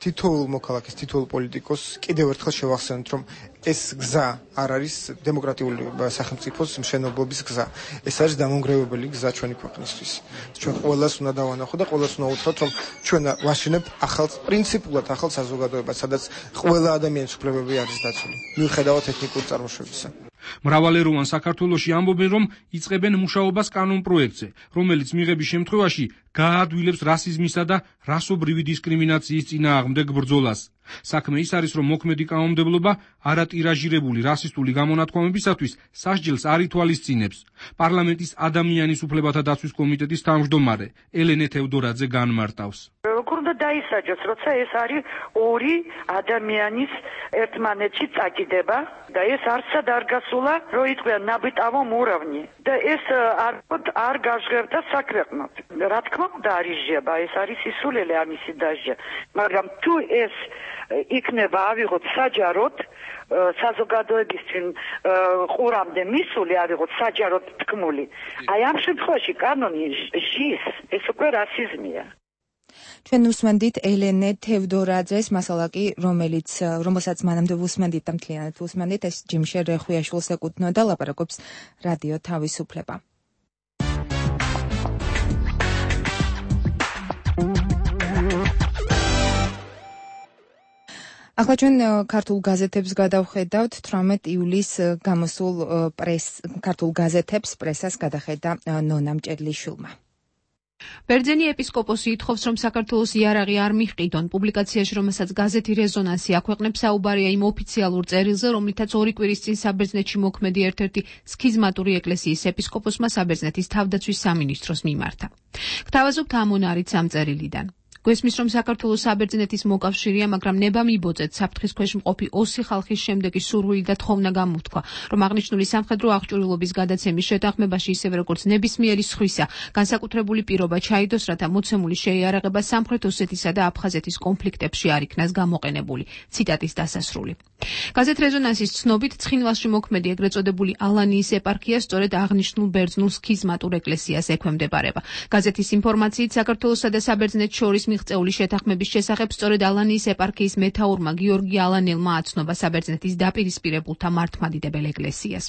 [SPEAKER 19] თითოეულ მოქალაქეს, თითოეულ პოლიტიკოს კიდევ ერთხელ შევახსენოთ, რომ ეს გზა არ არის დემოკრატიული სახელმწიფოს მშენებლობის გზა. ეს არის დამონგრევებელი გზა ჩვენი ქვეყნისთვის. ჩვენ ყველას უნდა დავანახოთ და ყველას უნდა უთხრათ, რომ ჩვენ ვაშენებთ ახალ პრინციპულად ახალ საზოგადოებას, სადაც ყველა ადამიანის უფლებები არის დაცული, მიუხედავად ეთნიკური წარმოშობისა.
[SPEAKER 16] მრავალეროვან საქართველოში ამბობენ, რომ იწყებენ მუშაობას კანონპროექტზე, რომელიც მიღების შემთხვევაში გაადვილებს რასიზმისა და რასობრივი დისკრიმინაციის წინააღმდეგ ბრძოლას. საქმე ის არის, რომ მოქმედი კანონმდებლობა არატირაჟირებული რასისტული გამონათქვამებისათვის სასჯელს არ ითვალისწინებს. პარლამენტის ადამიანის უფლებათა დაცვის კომიტეტის თავმჯდომარე ელენე თევდორაძე განმარტავს.
[SPEAKER 20] როგორ უნდა დაისაჯოს, როცა ეს არის ორი ადამიანის ერთმანეთში წაკიდება და ეს არცად არ გასულა, რომ იყვიან ნაბიტავო მოურავნი და ეს არ არ გაჟღერდა საქვეყნოდ. რა თქმა უნდა არიჟება, ეს არის სისულელე ამისი დაჟე, მაგრამ თუ ეს იქნება ავიღოთ საჯაროდ საზოგადოების წინ ყურამდე მისული ავიღოთ საჯაროდ თქმული. აი ამ შემთხვევაში კანონი ჟის, ეს უკვე რასიზმია.
[SPEAKER 1] ჩვენ უსმენდით ელენე თევდორაძეს მასალა კი, რომელიც რომელსაც მანამდე უსმენდით და მთლიანად უსმენდით, ეს ჯიმშე რეხვიაშვილს ეკუთვნოდა, ლაპარაკობს რადიო თავისუფლება. ახლა ჩვენ ქართულ გაზეთებს გადავხედავთ. თვრამეტ ივლისს გამოსულ პრეს ქართულ გაზეთებს პრესას გადახედა ნონა მჭედლიშვილმა.
[SPEAKER 21] ბერძენი ეპისკოპოსი ითხოვს, რომ საქართველოს იარაღი არ მიჰყიდონ. პუბლიკაციაში, რომელსაც გაზეთი რეზონანსი აქვეყნებს, საუბარია იმ ოფიციალურ წერილზე, რომლითაც ორი კვირის წინ საბერძნეთში მოქმედი ერთ-ერთი სქიზმატური ეკლესიის ეპისკოპოსმა საბერძნეთის თავდაცვის სამინისტროს მიმართა. გთავაზობთ ამონარით ამ წერილიდან. გვესმის, რომ საქართველოს საბერძნეთის მოკავშირეა, მაგრამ ნება მიბოძეთ საფრთხის ქვეშ მყოფი ოსი ხალხის შემდეგი სურვილი და თხოვნა გამოთქვა, რომ აღნიშნული სამხედრო აღჭურვილობის გადაცემის შეთანხმებაში, ისევე როგორც ნებისმიერი სხვისა, განსაკუთრებული პირობა ჩაიდოს, რათა მოცემული შეიარაღება სამხრეთ ოსეთისა და აფხაზეთის კონფლიქტებში არ იქნას გამოყენებული. ციტატის დასასრული. გაზეთ რეზონანსის ცნობით, ცხინვალში მოქმედი ეგრეთ წოდებული ალანიის ეპარქია სწორედ აღნიშნულ ბერძნულ სქიზმატურ ეკლესიას ექვემდებარება. გაზეთის ინფორმაციით, საქართველოსა და საბერძნეთს შორის მიღწეული შეთანხმების შესახებ სწორედ ალანიის ეპარქიის მეთაურმა გიორგი ალანელმა აცნობა საბერძნეთის დაპირისპირებულთა მართლმადიდებელ ეკლესიას.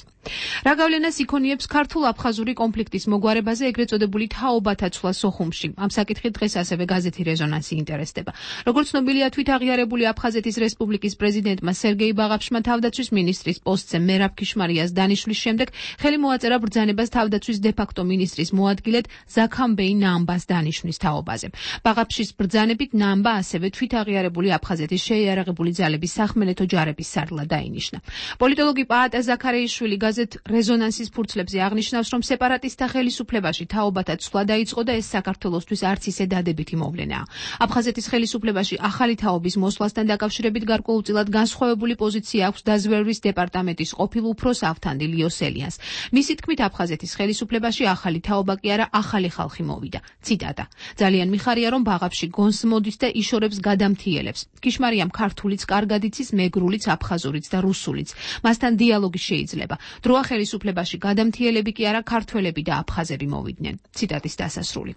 [SPEAKER 21] რა გავლენას იქონიებს ქართულ-აფხაზური კონფლიქტის მოგვარებაზე ეგრეთ წოდებული თაობათა ცვლა სოხუმში? ამ საკითხით დღეს ასევე გაზეთი რეზონანსი ინტერესდება. როგორც ცნობილია, თვითაღიარებული აფხაზეთის რესპუბლიკის პრეზიდენტმა სერგეი ბაღაფშმა თავდაცვის მინისტრის პოსტზე მერაბ ქიშმარიას დანიშნვის შემდეგ ხელი მოაწერა ბრძანებას თავდაცვის დე-ფაქტო მინისტრის მოადგილედ ზაქამბეი ნამბას დანიშნვის თაობაზე. ბაღაფშის ბრძანებით ნამბა ასევე თვითაღიარებული აფხაზეთის შეიარაღებული ძალების სახმელეთო ჯარების სარდლად დაინიშნა. პოლიტოლოგი პაატა ზაქარეიშვილი გაზეთ რეზონანსის ფურცლებზე აღნიშნავს, რომ სეპარატისტთა ხელისუფლებაში თაობათა ცვლა დაიწყო და ეს საქართველოსთვის არც ისე დადებითი მოვლენაა. აფხაზეთის ხელისუფლებაში ახალი თაობის მოსვლასთან დაკავშირებით გარკვეულწილად განსხვავებული პოზიცია აქვს დაზვერვის დეპარტამენტის ყოფილ უფროს ავთანდი ლიოსელიანს. მისი თქმით, აფხაზეთის ხელისუფლებაში ახალი თაობა კი არა, ახალი ხალხი მოვიდა. ციტატა. ძალიან მიხარია, რომ ბაღაფში გონს მოდის და იშორებს გადამთიელებს. ქიშმარიამ ქართულიც კარგად იცის, მეგრულიც, აფხაზურიც და რუსულიც. მასთან დიალოგი შეიძლება. დროა ხელისუფლებაში გადამთიელები კი არა, ქართველები და აფხაზები მოვიდნენ. ციტატის დასასრული.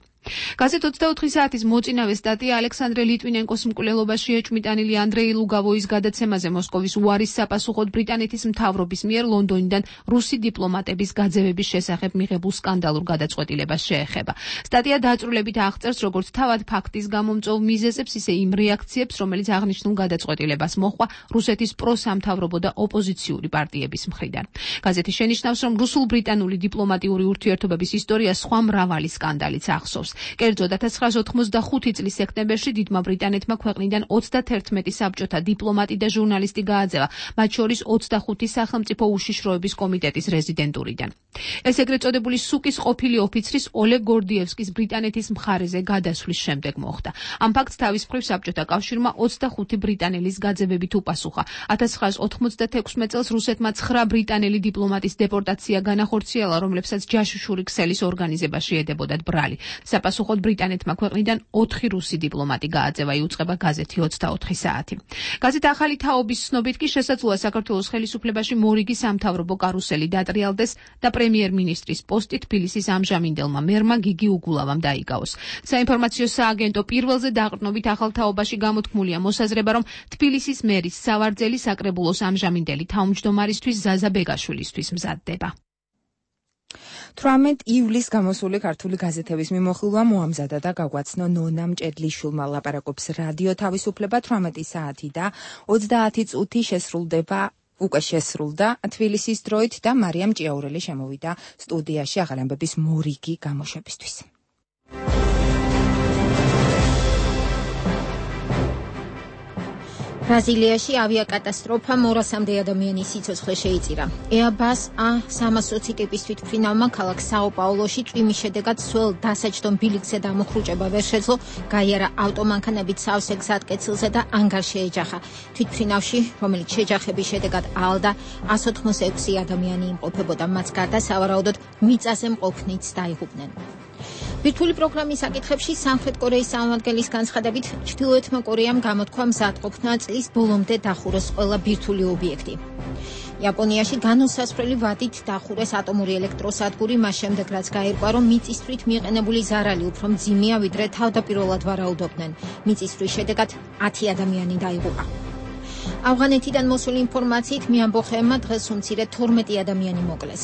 [SPEAKER 21] გაზეთ ოცდაოთხი საათის მოწინავე სტატია ალექსანდრე ლიტვინენკოს მკვლელობაში ეჭვმიტანილი ანდრეი ლუგავოის გადაცემაზე მოსკოვის უარის საპასუხოდ ბრიტანეთის მთავრობის მიერ ლონდონიდან რუსი დიპლომატების გაძევების შესახებ მიღებულ სკანდალურ გადაწყვეტილებას შეეხება. სტატია დაწვრილებით აღწერს როგორც თავად ფაქტის გამომწვევ მიზეზებს, ისე იმ რეაქციებს, რომელიც აღნიშნულ გადაწყვეტილებას მოჰყვა რუსეთის პროსამთავრობო და ოპოზიციური პარტიების მხრიდან. გაზეთი შენიშნავს, რომ რუსულ-ბრიტანული დიპლომატიური ურთიერთობების ისტორია სხვა მრავალი სკანდალიც ახსოვს. ნიშნავს. კერძოდ ათას ცხრაასი ოთხმოცდახუთი წლის სექტემბერში დიდმა ბრიტანეთმა ქვეყნიდან ოცდათერთმეტი საბჭოთა დიპლომატი და ჟურნალისტი გააძევა, მათ შორის ოცდახუთი სახელმწიფო უშიშროების კომიტეტის რეზიდენტურიდან. ეს ეგრეთ წოდებული სუკის ყოფილი ოფიცრის ოლეგ გორდიევსკის ბრიტანეთის მხარეზე გადასვლის შემდეგ მოხდა. ამ ფაქტს თავის მხრივ საბჭოთა კავშირმა ოცდახუთი ბრიტანელის გაძევებით უპასუხა. ათას ცხრაასი ოთხმოცდათექვსმეტ წელს რუსეთმა ცხრა ბრიტანელი დიპლომატის დეპორტაცია განახორციელა, რომლებსაც ჯაშუშური ქსელის ორგანიზებაში ედებოდათ ბრალი. საპასუხოდ ბრიტანეთმა ქვეყნიდან ოთხი რუსი დიპლომატი გააძევა, იუწყება გაზეთი ოცდაოთხი საათი. გაზეთ ახალი თაობის ცნობით კი შესაძლოა საქართველოს ხელისუფლებაში მორიგი სამთავრობო კარუსელი დატრიალდეს და პრემიერ-მინისტრის პოსტი თბილისის ამჟამინდელმა მერმა გიგი უგულავამ დაიკავოს. საინფორმაციო სააგენტო პირველზე დაყრდნობით ახალ თაობაში გამოთქმულია მოსაზრება, რომ თბილისის მერის სავარძელი საკრებულოს ამჟამინდელი თავმჯდომარისთვის ზაზა ბეგაშვილისთვის მზადდება.
[SPEAKER 1] თვრამეტ ივლისს გამოსული ქართული გაზეთების მიმოხილვა მოამზადა და გაგვაცნო ნონა მჭედლიშვილმა. ლაპარაკობს რადიო თავისუფლება. თვრამეტი საათი და ოცდაათი წუთი შესრულდება უკვე შესრულდა თბილისის დროით და მარიამ ჭიაურელი შემოვიდა სტუდიაში ახალი ამბების მორიგი გამოშვებისთვის.
[SPEAKER 2] ბრაზილიაში ავიაკატასტროფა მორასამდე ადამიანის სიცოცხლე შეიწირა. Airbus A სამას ოცი ტიპის თვითმფრინავმა ქალაქ საო-პაულოში წვიმის შედეგად სველ დასაჯდომ ბილიკზე დამოხრუჭება ვერ შეძლო, გაიარა ავტომანქანებით სავსე გზატკეცილზე და ანგარში ეჯახა. თვითმფრინავში, რომელიც შეჯახების შედეგად აალდა, ას ოთხმოცდაექვსი ადამიანი იმყოფებოდა, მათ გარდა სავარაუდოდ მიწაზე მყოფნიც დაიღუპნენ. ბირთვული პროგრამის საკითხებში სამხრეთ კორეის წარმომადგენლის განცხადებით, ჩრდილოეთმა კორეამ გამოთქვა მზადყოფნა წლის ბოლომდე დახუროს ყველა ბირთვული ობიექტი. იაპონიაში განუსასწრელი ვადით დახურეს ატომური ელექტროსადგური, მას შემდეგ რაც გაირკვა, რომ მიწისძვრით მიყენებული ზარალი უფრო მძიმეა, ვიდრე თავდაპირველად ვარაუდობდნენ. მიწისძვრის შედეგად ათი ადამიანი დაიღუპა. ავღანეთიდან მოსული ინფორმაციით მეამბოხეებმა დღეს უმცირე თორმეტი ადამიანი მოკლეს.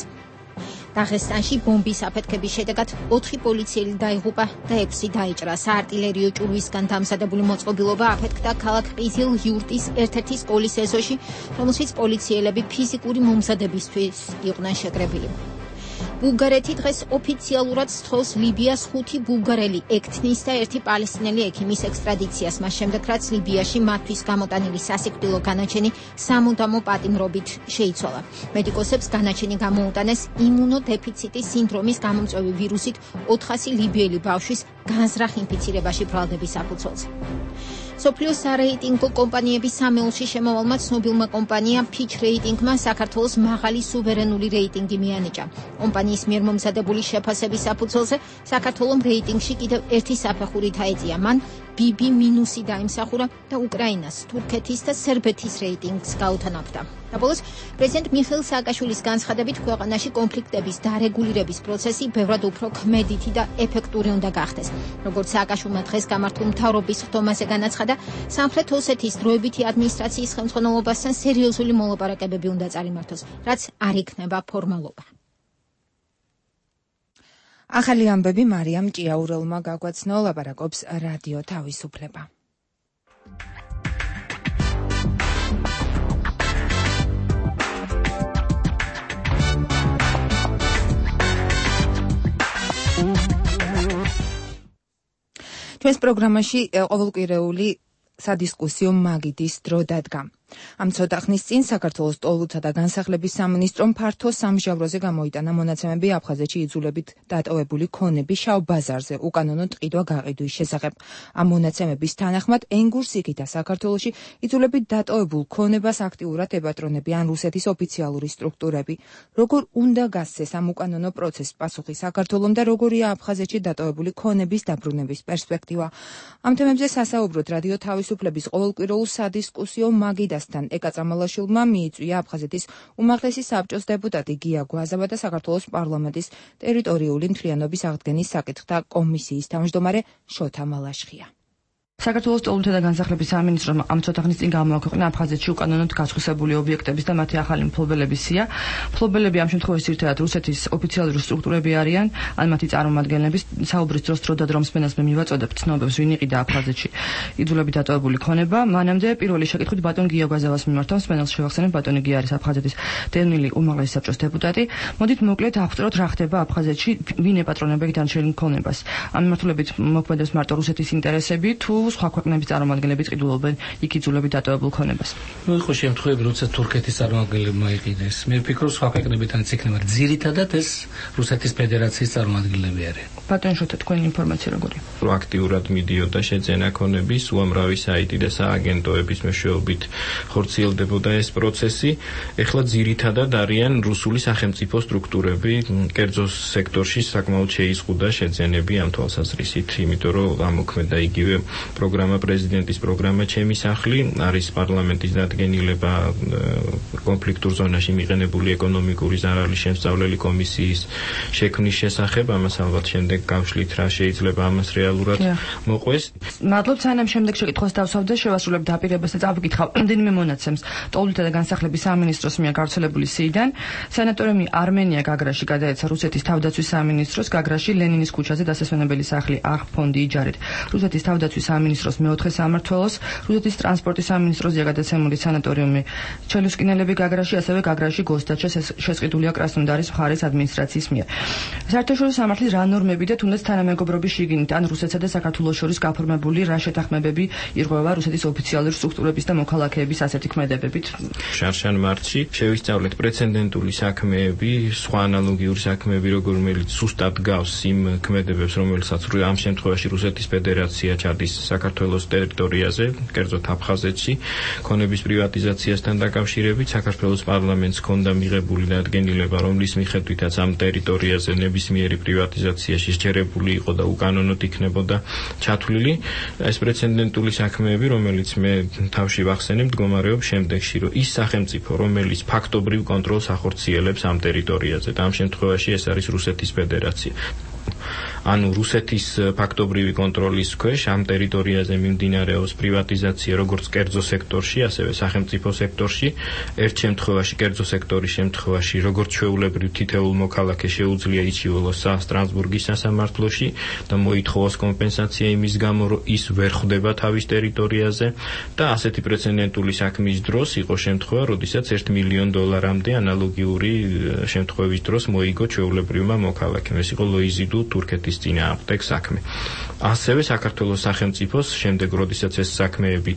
[SPEAKER 2] დაღესტანში ბომბის აფეთქების შედეგად ოთხი პოლიციელი დაიღუპა და ექვსი დაიჭრა. საარტილერიო ჭურვისგან დამზადებული მოწყობილობა აფეთქდა ქალაქ ყიზილ იურტის ერთ-ერთი სკოლის ეზოში, რომელშიც პოლიციელები ფიზიკური მომზადებისთვის იყვნენ შეკრებილი. ბულგარეთი დღეს ოფიციალურად სთხოვს ლიბიას ხუთი ბულგარელი ექთნის და ერთი პალესტინელი ექიმის ექსტრადიციას, მას შემდეგ რაც ლიბიაში მათთვის გამოტანილი სასიკვდილო განაჩენი სამუდამო პატიმრობით შეიცვალა. მედიკოსებს განაჩენი გამოუტანეს იმუნოდეფიციტის სინდრომის გამომწვევი ვირუსით ოთხასი ლიბიელი ბავშვის განზრახ ინფიცირებაში ბრალდების საფუძველზე. სოფლიოს სარეიტინგო კომპანიების სამეულში შემოვალმა ცნობილმა კომპანია Fitch რეიტინგმა საქართველოს მაღალი სუვერენული რეიტინგი მიანიჭა. კომპანიის მიერ მომზადებული შეფასების საფუძველზე საქართველოს რეიტინგში კიდევ ერთი საფეხურით აეწია. მან ბი ბი მინუსი დაიმსახურა და უკრაინას, თურქეთის და სერბეთის რეიტინგს გაუთანაბრდა. და ბოლოს პრეზიდენტ მიხეილ სააკაშვილის განცხადებით, ქვეყანაში კონფლიქტების დარეგულირების პროცესი ბევრად უფრო ქმედითი და ეფექტური უნდა გახდეს. როგორც სააკაშვილმა დღეს გამართულ მთავრობის ხდომაზე განაცხადა, სამხრეთ ოსეთის დროებითი ადმინისტრაციის ხელმძღვანელობასთან სერიოზული მოლაპარაკებები უნდა წარიმართოს, რაც არ იქნება ფორმალობა.
[SPEAKER 1] ახალი ამბები მარიამ ჭიაურელმა გაგვაცნო, ლაპარაკობს რადიო თავისუფლება. ჩვენს პროგრამაში ყოველკვირეული სადისკუსიო მაგიდის დრო დადგა. ამ ცოტა ხნის წინ საქართველოს ტოლოთა და განსახლების სამინისტრომ ფართო სამჟავროზე გამოიტანა მონაცემები აფხაზეთში იძულებით დატოვებული ქონები შავ ბაზარზე უკანონო ტყიდვა გაყიდვის შესახებ. ამ მონაცემების თანახმად ენგურს იქითა საქართველოში იძულებით დატოვებულ ქონებას აქტიურად ებატრონებიან რუსეთის ოფიციალური სტრუქტურები. როგორ უნდა გასცეს ამ უკანონო პროცესს პასუხი საქართველომ და როგორია აფხაზეთში დატოვებული ქონების დაბრუნების პერსპექტივა? ამ თემებზე სასაუბროთ რადიო თავისუფლების ყოველკვირეულ სადისკუსიო მაგიდას ეკა წამალაშვილმა მიიწვია აფხაზეთის უმაღლესი საბჭოს დეპუტატი გია გვაზავა და საქართველოს პარლამენტის ტერიტორიული მთლიანობის აღდგენის საკითხთა კომისიის თავმჯდომარე შოთა მალაშხია.
[SPEAKER 7] საქართველოს ტოლობითი და განსახლების სამინისტრომ ამ ცოტა ხნის წინ გამოაქვეყნა აფხაზეთში უკანონოდ გასხვისებული ობიექტების და მათი ახალი მფლობელების სია. მფლობელები ამ შემთხვევაში ერთადად რუსეთის ოფიციალური სტრუქტურები არიან, ან მათი წარმომადგენლების. საუბრის დროს დრო და დრომსმენას მე მივაწოდებ ცნობებს, ვინ იყიდა აფხაზეთში იძულებით დატოვებული ქონება. მანამდე პირველი შეკითხვით ბატონ გიო გაზავას მიმართა, მსმენელს შევახსენებ, ბატონი გია არის აფხაზეთის დევნილი უმაღლესი საბჭოს დეპუტატი. მოდით მოკლედ აღწეროთ რა ხდება აფხაზეთში, ვინ ეპატრონებდა დანარჩენ ქონებას. ამ მიმართულებით მოქმედებს მარტო რუსეთის ინტერესები თუ სხვა ქვეყნების წარმომადგენლები წყიდულობენ იქ იძულებით დატოვებულ ქონებას.
[SPEAKER 8] ნუ იყო შემთხვევები, როცა თურქეთის წარმომადგენლებმა იყიდეს. მე ვფიქრობ, სხვა ქვეყნებითანაც იქნება. ძირითადად ეს რუსეთის ფედერაციის წარმომადგენლები არიან.
[SPEAKER 7] ბატონ შოთა, თქვენი ინფორმაცია როგორია?
[SPEAKER 22] აქტიურად მიდიოდა შეძენა ქონების, უამრავი საიტი და სააგენტოების მეშვეობით ხორციელდებოდა ეს პროცესი. ეხლა ძირითადად არიან რუსული სახელმწიფო სტრუქტურები, კერძო სექტორში საკმაოდ შეიზღუდა შეძენები ამ თვალსაზრისით, იმიტომ რომ ამოქმედა იგივე პროგრამა პრეზიდენტის პროგრამა ჩემი სახლი, არის პარლამენტის დადგენილება კონფლიქტურ ზონაში მიყენებული ეკონომიკური ზარალის შემსწავლელი კომისიის შექმნის შესახებ, ამას ალბათ შემდეგ გავშლით რა შეიძლება ამას რეალურად მოყვეს.
[SPEAKER 7] მადლობთ, სანამ შემდეგ შეკითხვას დავსვავდე, შევასრულებ დაპირებას და წავიკითხავ რამდენიმე მონაცემს ტოლობითი და განსახლების სამინისტროს მიერ გავრცელებული სიიდან. სანატორიუმი არმენია გაგრაში გადაეცა რუსეთის თავდაცვის სამინისტროს, გაგრაში ლენინის ქუჩაზე დასასვენებელი სახლი აღფონდი იჯარით რუსეთის თავდაცვის სამინისტროს მეოთხე სამმართველოს, რუსეთის ტრანსპორტის სამინისტროზეა გადაცემული სანატორიუმი ჩელუსკინელები გაგრაში, ასევე გაგრაში გოსდაჩა შესყიდულია კრასნოდარის მხარის ადმინისტრაციის მიერ. საერთაშორისო სამართლის რა ნორმები და თუნდაც თანამეგობრობის შიგნით ან რუსეთსა და საქართველოს შორის გაფორმებული რა შეთანხმებები ირღვევა რუსეთის ოფიციალური სტრუქტურების და მოქალაქეების ასეთი ქმედებებით?
[SPEAKER 22] შარშან მარტში შევისწავლეთ პრეცედენტული საქმეები, სხვა ანალოგიური საქმეები, რომელიც ზუსტად გავს იმ ქმედებებს, რომელსაც ამ შემთხვევაში რუსეთის ფედერაცია ჩადის საქართველოს ტერიტორიაზე, კერძოდ აფხაზეთში, ქონების პრივატიზაციასთან დაკავშირებით საქართველოს პარლამენტს ჰქონდა მიღებული დადგენილება, რომლის მიხედვითაც ამ ტერიტორიაზე ნებისმიერი პრივატიზაცია შესჯერებული იყო და უკანონოდ იქნებოდა ჩათვლილი. ეს პრეცედენტული საქმეები, რომელიც მე თავში ვახსენებ, მდგომარეობს შემდეგში, რომ ის სახელმწიფო, რომელიც ფაქტობრივ კონტროლს ახორციელებს ამ ტერიტორიაზე და ამ შემთხვევაში ეს არის რუსეთის ფედერაცია. ანუ რუსეთის ფაქტობრივი კონტროლის ქვეშ ამ ტერიტორიაზე მიმდინარეობს პრივატიზაცია როგორც კერძო სექტორში, ასევე სახელმწიფო სექტორში. ერთ შემთხვევაში, კერძო სექტორის შემთხვევაში, როგორც ჩვეულებრივ თითოეულ მოქალაქეს შეუძლია იჩივლოს სტრასბურგის სასამართლოში და მოითხოვოს კომპენსაცია იმის გამო, რომ ის ვერ ხვდება თავის ტერიტორიაზე და ასეთი პრეცედენტული საქმის დროს იყო შემთხვევა, როდესაც ერთ მილიონ დოლარამდე ანალოგიური შემთხვევის დროს მოიგო ჩვეულებრივმა მოქალაქემ. ეს იყო ლოიზიდუ თურქეთის წინააღმდეგ საქმე. ასევე საქართველოს სახელმწიფოს შემდეგ, როდესაც ეს საქმეები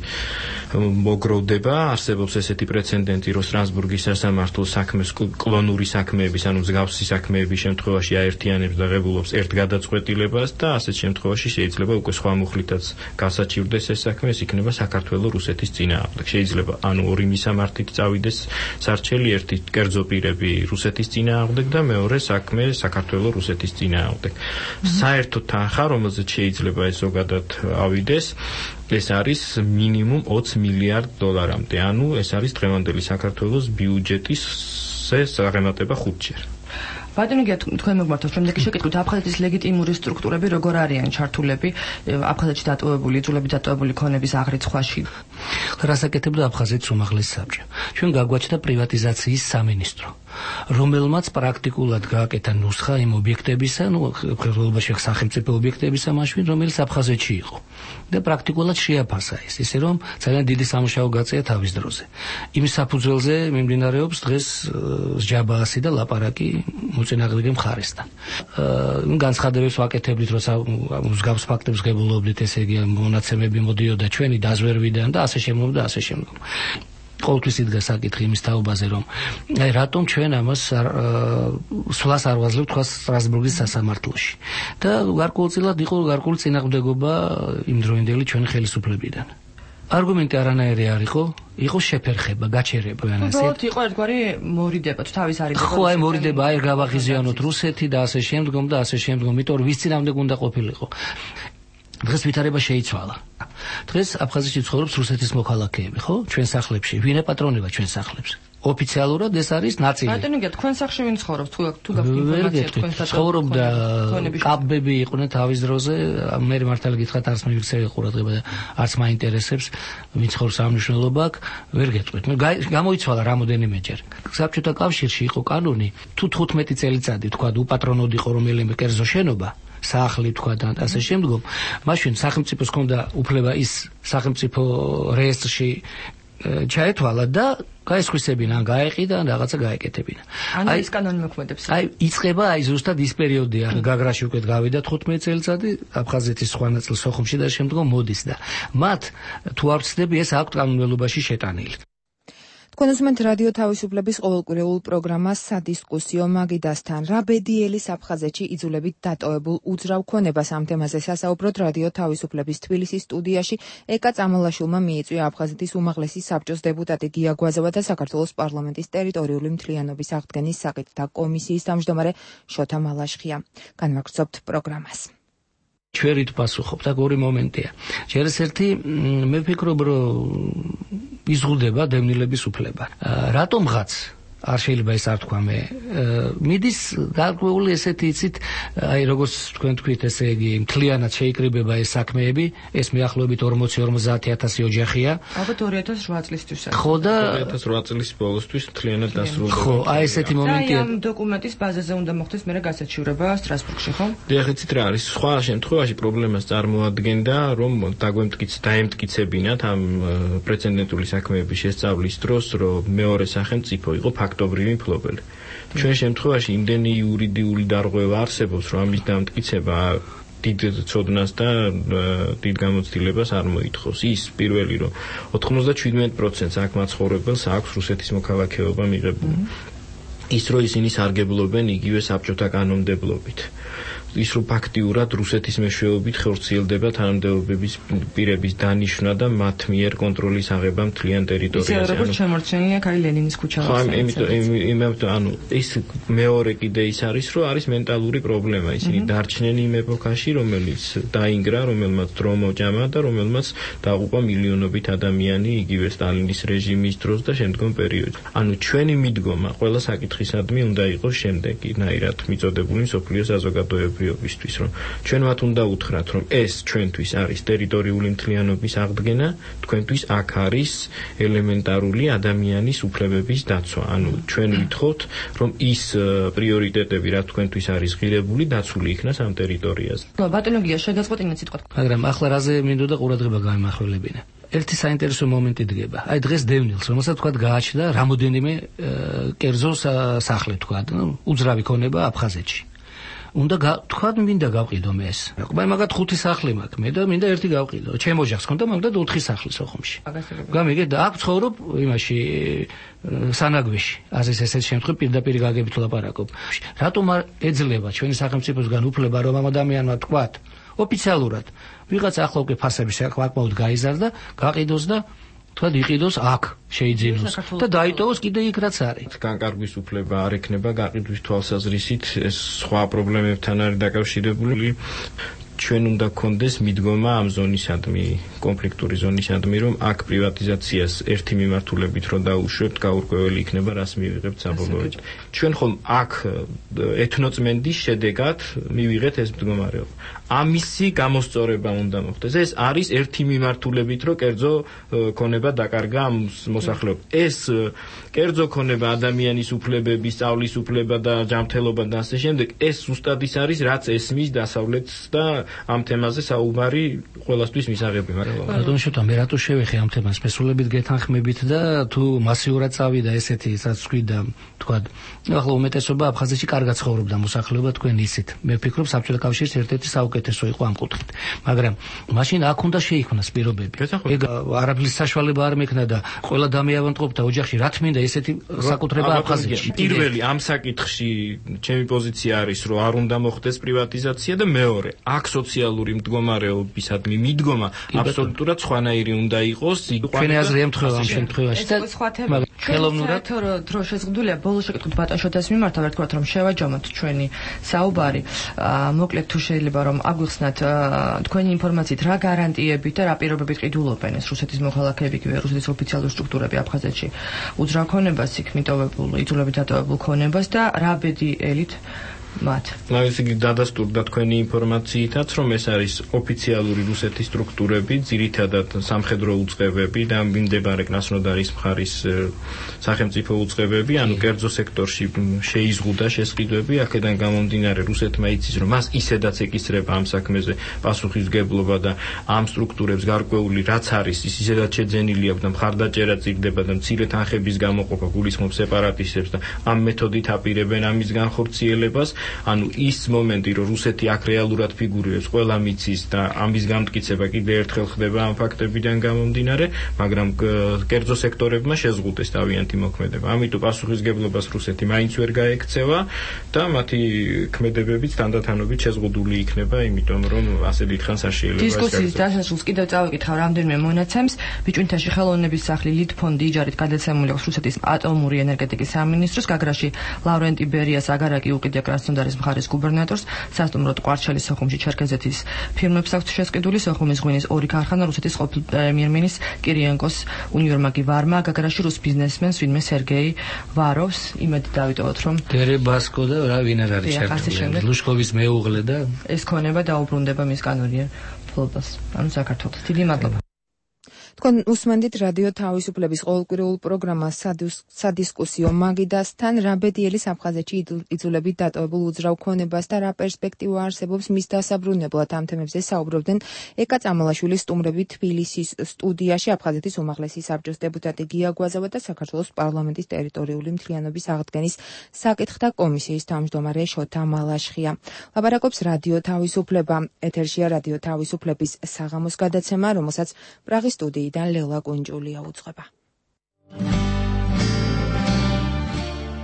[SPEAKER 22] მოგროვდება, არსებობს ესეთი პრეცედენტი, რომ სტრასბურგის სასამართლოს საქმეს კლონური საქმეების, ანუ მსგავსი საქმეების შემთხვევაში აერთიანებს და ღებულობს ერთ გადაწყვეტილებას და ასეთ შემთხვევაში შეიძლება უკვე სხვა მუხლითაც გასაჩივრდეს ეს საქმე, ეს იქნება საქართველოს რუსეთის წინააღმდეგ. შეიძლება ანუ ორი მისამართით წავიდეს სარჩელი, ერთი კერძო პირები რუსეთის წინააღმდეგ და მეორე საქმე საქართველოს რუსეთის წინააღმდეგ. საერთო თანხა, რომელზეც შეიძლება ეს ზოგადად ავიდეს, ეს არის მინიმუმ ოცი მილიარდ დოლარამდე. ანუ ეს არის დღევანდელი საქართველოს ბიუჯეტის საღემატება ხუთჯერ.
[SPEAKER 7] ბატონი გია, თქვენ მოგმართოთ შემდეგი შეკითხვით, აფხაზეთის ლეგიტიმური სტრუქტურები როგორ არიან ჩართულები აფხაზეთში დატოვებული, იძულებით დატოვებული ქონების აღრიცხვაში?
[SPEAKER 8] რას აკეთებდა აფხაზეთის უმაღლესი საბჭო? ჩვენ გაგვაჩნდა პრივატიზაციის სამინისტრო, რომელმაც პრაქტიკულად გააკეთა ნუსხა იმ ობიექტებისა, ну, ხელოვნებაში სახელმწიფო ობიექტებისა მაშინ, რომელიც აფხაზეთში იყო. და პრაქტიკულად შეაფასა ეს, ისე რომ ძალიან დიდი სამუშაო გაწია თავის დროზე. იმ საფუძველზე მიმდინარეობს დღეს ჯაბაასი და ლაპარაკი მოწინააღმდეგე მხარესთან. აა განცხადებებს ვაკეთებდით, როცა მსგავს ფაქტებს ღებულობდით, ესე იგი მონაცემები მოდიოდა ჩვენი დაზვერვიდან და ასე შემდგომ და ასე შემდგომ. ყოველთვის იდგა საკითხი იმის თაობაზე, რომ აი რატომ ჩვენ ამას სვლას არ ვაძლევთ თქვა სტრასბურგის სასამართლოში. და გარკვეულწილად იყო გარკვეული წინააღმდეგობა იმდროინდელი ჩვენი ხელისუფლებიდან. არგუმენტი არანაირი არ იყო, იყო შეფერხება, გაჩერება განასეთ.
[SPEAKER 7] უბრალოდ იყო ერთგვარი მორიდება, თუ თავის არიდება.
[SPEAKER 8] ხო, აი მორიდება, აი გავაღიზიანოთ რუსეთი და ასე შემდგომ და ასე შემდგომ, იმიტომ რომ ვის წინააღმდეგ უნდა ყოფილიყო. დღეს ვითარება შეიცვალა. დღეს აფხაზეთში ცხოვრობს რუსეთის მოქალაქეები, ხო? ჩვენ სახლებში. ვინ ეპატრონება ჩვენ სახლებს? ოფიციალურად ეს არის ნაწილი.
[SPEAKER 7] ბატონო, თქვენ სახში ვინ ცხოვრობს? თუ თუ გაქვთ ინფორმაცია თქვენ საერთოდ
[SPEAKER 8] ცხოვრობდა კაბები იყვნენ თავის დროზე, მე მართალი გითხრათ არც მივიქცევი ყურადღება და არც მაინტერესებს ვინ ცხოვრობს ამ მნიშვნელობა აქვს, ვერ გეტყვით. მე გამოიცვალა რამოდენიმეჯერ. საბჭოთა კავშირში იყო კანონი, თუ თხუთმეტი წელიწადი თქვა უპატრონოდ იყო რომელიმე კერძო შენობა სახლი თქვა და ასე შემდგომ, მაშინ სახელმწიფოს ჰქონდა უფლება ის სახელმწიფო რეესტრში ჩაეთვალა და გაესხვისებინა, ან გაეყიდა, ან რაღაცა გაეკეთებინა.
[SPEAKER 7] ანუ ეს კანონი მოქმედებს.
[SPEAKER 8] აი, იწყება აი ზუსტად ის პერიოდია, გაგრაში უკვე გავიდა თხუთმეტი წელიწადი, აფხაზეთის სხვა ნაწილ სოხუმში და შემდგომ მოდის და მათ თუ არ ვცდები, ეს აქვთ კანონმდებლობაში შეტანილი.
[SPEAKER 1] თქვენ უსმენთ რადიო თავისუფლების ყოველკვირეულ პროგრამას სადისკუსიო მაგიდასთან. რა ბედიელის აფხაზეთში იძულებით დატოვებულ უძრავ ქონებას ამ თემაზე სასაუბროთ რადიო თავისუფლების თბილისის სტუდიაში ეკა წამალაშვილმა მიიწვია აფხაზეთის უმაღლესი საბჭოს დეპუტატი გია გვაზოვა და საქართველოს პარლამენტის ტერიტორიული მთლიანობის აღდგენის საკითხთა კომისიის თავმჯდომარე შოთა მალაშხია. განვაგრძობთ პროგრამას.
[SPEAKER 8] ჩვენით პასუხობთ, აქ ორი მომენტია. ჯერ ერთი მე ვფიქრობ, რომ იზღუდება დევნილების უფლება. რატომღაც არ შეიძლება ეს არ თქვა მე. მიდის გარკვეული ესეთი იცით, აი როგორც თქვენ თქვით, ესე იგი, მთლიანად შეიკრიბება ეს საქმეები, ეს მეახლოებით ორმოცი ორმოცდაათი ათასი ოჯახია.
[SPEAKER 7] ალბათ ორი ათას ოთხ წლისთვის.
[SPEAKER 8] ხო და
[SPEAKER 22] ორი ათას ოთხ წლის ბოლოსთვის მთლიანად დასრულდება.
[SPEAKER 8] ხო, აი ესეთი მომენტია.
[SPEAKER 7] აი ამ დოკუმენტის ბაზაზე უნდა მოხდეს მერე გასაჩივრება სტრასბურგში, ხო?
[SPEAKER 22] დიახ, იცით რა არის? სხვა შემთხვევაში პრობლემას წარმოადგენდა, რომ დაგვემტკიც დაემტკიცებინათ ამ პრეცედენტული საქმეების შესწავლის დროს, რომ მეორე სახელმწიფო იყო ფაქტობრივი მფლობელი. ჩვენ შემთხვევაში იმდენი იურიდიული დარღვევა არსებობს, რომ ამის დამტკიცება დიდ ცოდნას და დიდ გამოცდილებას არ მოითხოვს. ის პირველი, რომ ოთხმოცდაჩვიდმეტ პროცენტს აქ მაცხოვრებელს აქვს რუსეთის მოქალაქეობა მიღებული. ის რომ ისინი სარგებლობენ იგივე საბჭოთა კანონმდებლობით. ის რომ ფაქტიურად რუსეთის მეშვეობით ხორციელდება თანამდებობების პირების დანიშვნა და მათ მიერ კონტროლის აღება მთლიან ტერიტორიაზე.
[SPEAKER 7] ისე როგორც შემორჩენილია კაი ლენინის ქუჩა.
[SPEAKER 22] ხო, იმიტომ ანუ ის მეორე კიდე ის არის, რომ არის მენტალური პრობლემა. ისინი დარჩნენ იმ ეპოქაში, რომელიც დაინგრა, რომელმაც დრო მოჭამა და რომელმაც დაუყვა მილიონობით ადამიანი იგივე სტალინის რეჟიმის დროს და შემდგომ პერიოდში. ანუ ჩვენი მიდგომა ყველა საკითხისადმი უნდა იყოს შემდეგი, ნაირად მიწოდებული მსოფლიო საზოგადოება ისთვის, რომ ჩვენ მათ უნდა უთხრათ, რომ ეს ჩვენთვის არის ტერიტორიული მთლიანობის აღდგენა, თქვენთვის აქ არის ელემენტარული ადამიანის უფლებების დაცვა. ანუ ჩვენ ვითხოვთ, რომ ის პრიორიტეტები, რა თქვენთვის არის ღირებული, დაცული იქნას ამ ტერიტორიაზე.
[SPEAKER 7] ბატონო გია, შეგაწყვეტინეთ სიტყვა.
[SPEAKER 8] მაგრამ ახლა რაზე მინდოდა ყურადღება გამიმახვილებინა. ერთი საინტერესო მომენტი დგება. აი დღეს დევნილს, რომელსაც თქვა გააჩნდა რამოდენიმე კერძო სახლი თქვა, უძრავი ქონება აფხაზეთში. უნდა თქვა მინდა გავყიდო მე ეს. მე მაგათ ხუთი სახლი მაქვს, მე და მინდა ერთი გავყიდო. ჩემ ოჯახს ქონდა მაგათ ოთხი სახლი სოხუმში. გამიგე და აქ ცხოვრობ იმაში სანაგვეში. ასეს ესეთ შემთხვევაში პირდაპირ გაგებით ლაპარაკობ. რატომ არ ეძლევა ჩვენი სახელმწიფოსგან უფლება რომ ამ ადამიანმა თქვათ ოფიციალურად ვიღაც ახლა უკვე ფასები საკმაოდ გაიზარდა, გაყიდოს და თქვა იყიდოს აქ შეიძინოს და დაიტოვოს კიდე იქ რაც არის.
[SPEAKER 22] განკარგვის უფლება არ ექნება გაყიდვის თვალსაზრისით, ეს სხვა პრობლემებთან არის დაკავშირებული. ჩვენ უნდა გქონდეს მიდგომა ამ ზონისადმი, კონფლიქტური ზონისადმი, რომ აქ პრივატიზაციას ერთი მიმართულებით რო დაუშვებთ, გაურკვეველი იქნება, რას მივიღებთ საბოლოოდ. ჩვენ ხომ აქ ეთნოწმენდის შედეგად მივიღეთ ეს მდგომარეობა. ამისი გამოსწორება უნდა მოხდეს. ეს არის ერთი მიმართულებით, რომ კერძო ქონება დაკარგა ამ მოსახლეობას. ეს კერძო ქონება ადამიანის უფლებების, სწავლის უფლება და ჯანმრთელობა და ასე შემდეგ, ეს ზუსტად ის არის, რაც ესმის დასავლეთს და ამ თემაზე საუბარი ყველასთვის მისაღები, მაგრამ
[SPEAKER 8] ბატონო შოთა, მე რატო შევეხე ამ თემას სპეციალობით გეთანხმებით და თუ მასიურად წავიდა ესეთი, რაც თქვი და თქვა, ახლა უმეტესობა აფხაზეთში კარგად ცხოვრობდა მოსახლეობა, თქვენ იცით. მე ვფიქრობ, საბჭოთა კავშირის ერთ-ერთი საუკეთესო იყო ამ კუთხით. მაგრამ მაშინ აქ უნდა შეიქმნას პირობები. ეგ არაფრის საშუალება არ მექნა და ყველა დამეავადმყოფთა ოჯახში რა თმინდა ესეთი საკუთრება აფხაზეთში.
[SPEAKER 22] პირველი ამ საკითხში ჩემი პოზიცია არის, რომ არ უნდა მოხდეს პრივატიზაცია და მეორე, აქ სოციალური მდგომარეობისადმი მიდგომა აბსოლუტურად სხვანაირი უნდა იყოს.
[SPEAKER 8] ჩვენი აზრი ემთხვევა ამ შემთხვევაში და
[SPEAKER 7] ხელოვნურად დრო შეზღუდულია ბოლოს შეკითხოთ ბატონ შოთას მიმართ ვთქვათ რომ შევაჯამოთ ჩვენი საუბარი მოკლედ თუ შეიძლება რომ აგვიხსნათ თქვენი ინფორმაციით რა გარანტიებით და რა პირობებით ყიდულობენ ეს რუსეთის მოქალაქეები კი რუსეთის ოფიციალური სტრუქტურები აფხაზეთში უძრავ ქონებას იქ მიტოვებულ იძულებით დატოვებულ ქონებას და რა ბედი ელით მათ.
[SPEAKER 22] ისე იგი დადასტურდა თქვენი ინფორმაციითაც, რომ ეს არის ოფიციალური რუსეთის სტრუქტურები, ძირითადად სამხედრო უწყებები და მიმდებარე კრასნოდარის მხარის სახელმწიფო უწყებები, ანუ კერძო სექტორში შეიზღუდა შესყიდვები, აქედან გამომდინარე რუსეთმა იცის, რომ მას ისედაც ეკისრება ამ საქმეზე პასუხისგებლობა და ამ სტრუქტურებს გარკვეული რაც არის, ის ისედაც შეძენილი აქვს და მხარდაჭერა წიგდება და მცირე თანხების გამოყოფა გულისხმობს სეპარატისტებს და ამ მეთოდით აპირებენ ამის განხორციელებას. ანუ ის მომენტი, რომ რუსეთი აქ რეალურად ფიგურირებს, ყველა მიცის და ამის გამტკიცება კიდე ერთხელ ხდება ამ ფაქტებიდან გამომდინარე, მაგრამ კერძო სექტორებმა შეზღუდეს თავიანთი მოქმედება. ამიტომ პასუხისგებლობას რუსეთი მაინც ვერ გაექცევა და მათი ქმედებებიც თანდათანობით შეზღუდული იქნება, იმიტომ რომ ასე დიდხანს არ შეიძლება ეს
[SPEAKER 7] დისკუსიის დასასრულს კიდევ წავიკითხავ რამდენიმე მონაცემს. ბიჭუნთაში ხელოვნების სახლი ლიტფონდი იჯარით გადაცემული აქვს რუსეთის ატომური ენერგეტიკის სამინისტროს გაგრაში ლავრენტი ბერიას აგარაკი უკიდია კრასნოდარის მხარის გუბერნატორს, სასტუმროდ ყვარჩელის სოხუმში ჩერქეზეთის ფირმებს აქვს შესყიდული, სოხუმის ღვინის ორი ქარხანა, რუსეთის ყოფილ პრემიერ-მინისტრს კირიენკოს უნივერმაგი ვარმა, გაგრაში რუს ბიზნესმენს ვინმე სერგეი ვაროვს, იმედი დავიტოვოთ რომ
[SPEAKER 8] დერებასკო და რა ვინ არ არის ჩართული, ლუშკოვის მეუღლე და
[SPEAKER 7] ეს ქონება დაუბრუნდება მის კანონიერ ფლობას, ანუ საქართველოს. დიდი მადლობა.
[SPEAKER 1] თქვენ უსმენდით რადიო თავისუფლების ყოველკვირეულ პროგრამას სადისკუსიო მაგიდასთან რა ბედიელის აფხაზეთში იძულებით დატოვებულ უძრავ ქონებას და რა პერსპექტივა არსებობს მის დასაბრუნებლად ამ თემებზე საუბრობდნენ ეკა წამალაშვილის სტუმრები თბილისის სტუდიაში აფხაზეთის უმაღლესი საბჭოს დეპუტატი გია გვაზავა და საქართველოს პარლამენტის ტერიტორიული მთლიანობის აღდგენის საკითხთა კომისიის თავმჯდომარე შოთა მალაშხია. ლაბარაკობს რადიო თავისუფლება. ეთერშია რადიო თავისუფლების საღამოს გადაცემა, რომელსაც პრაღის სტუდიიდან ლელა კუნჯულია უძღვება.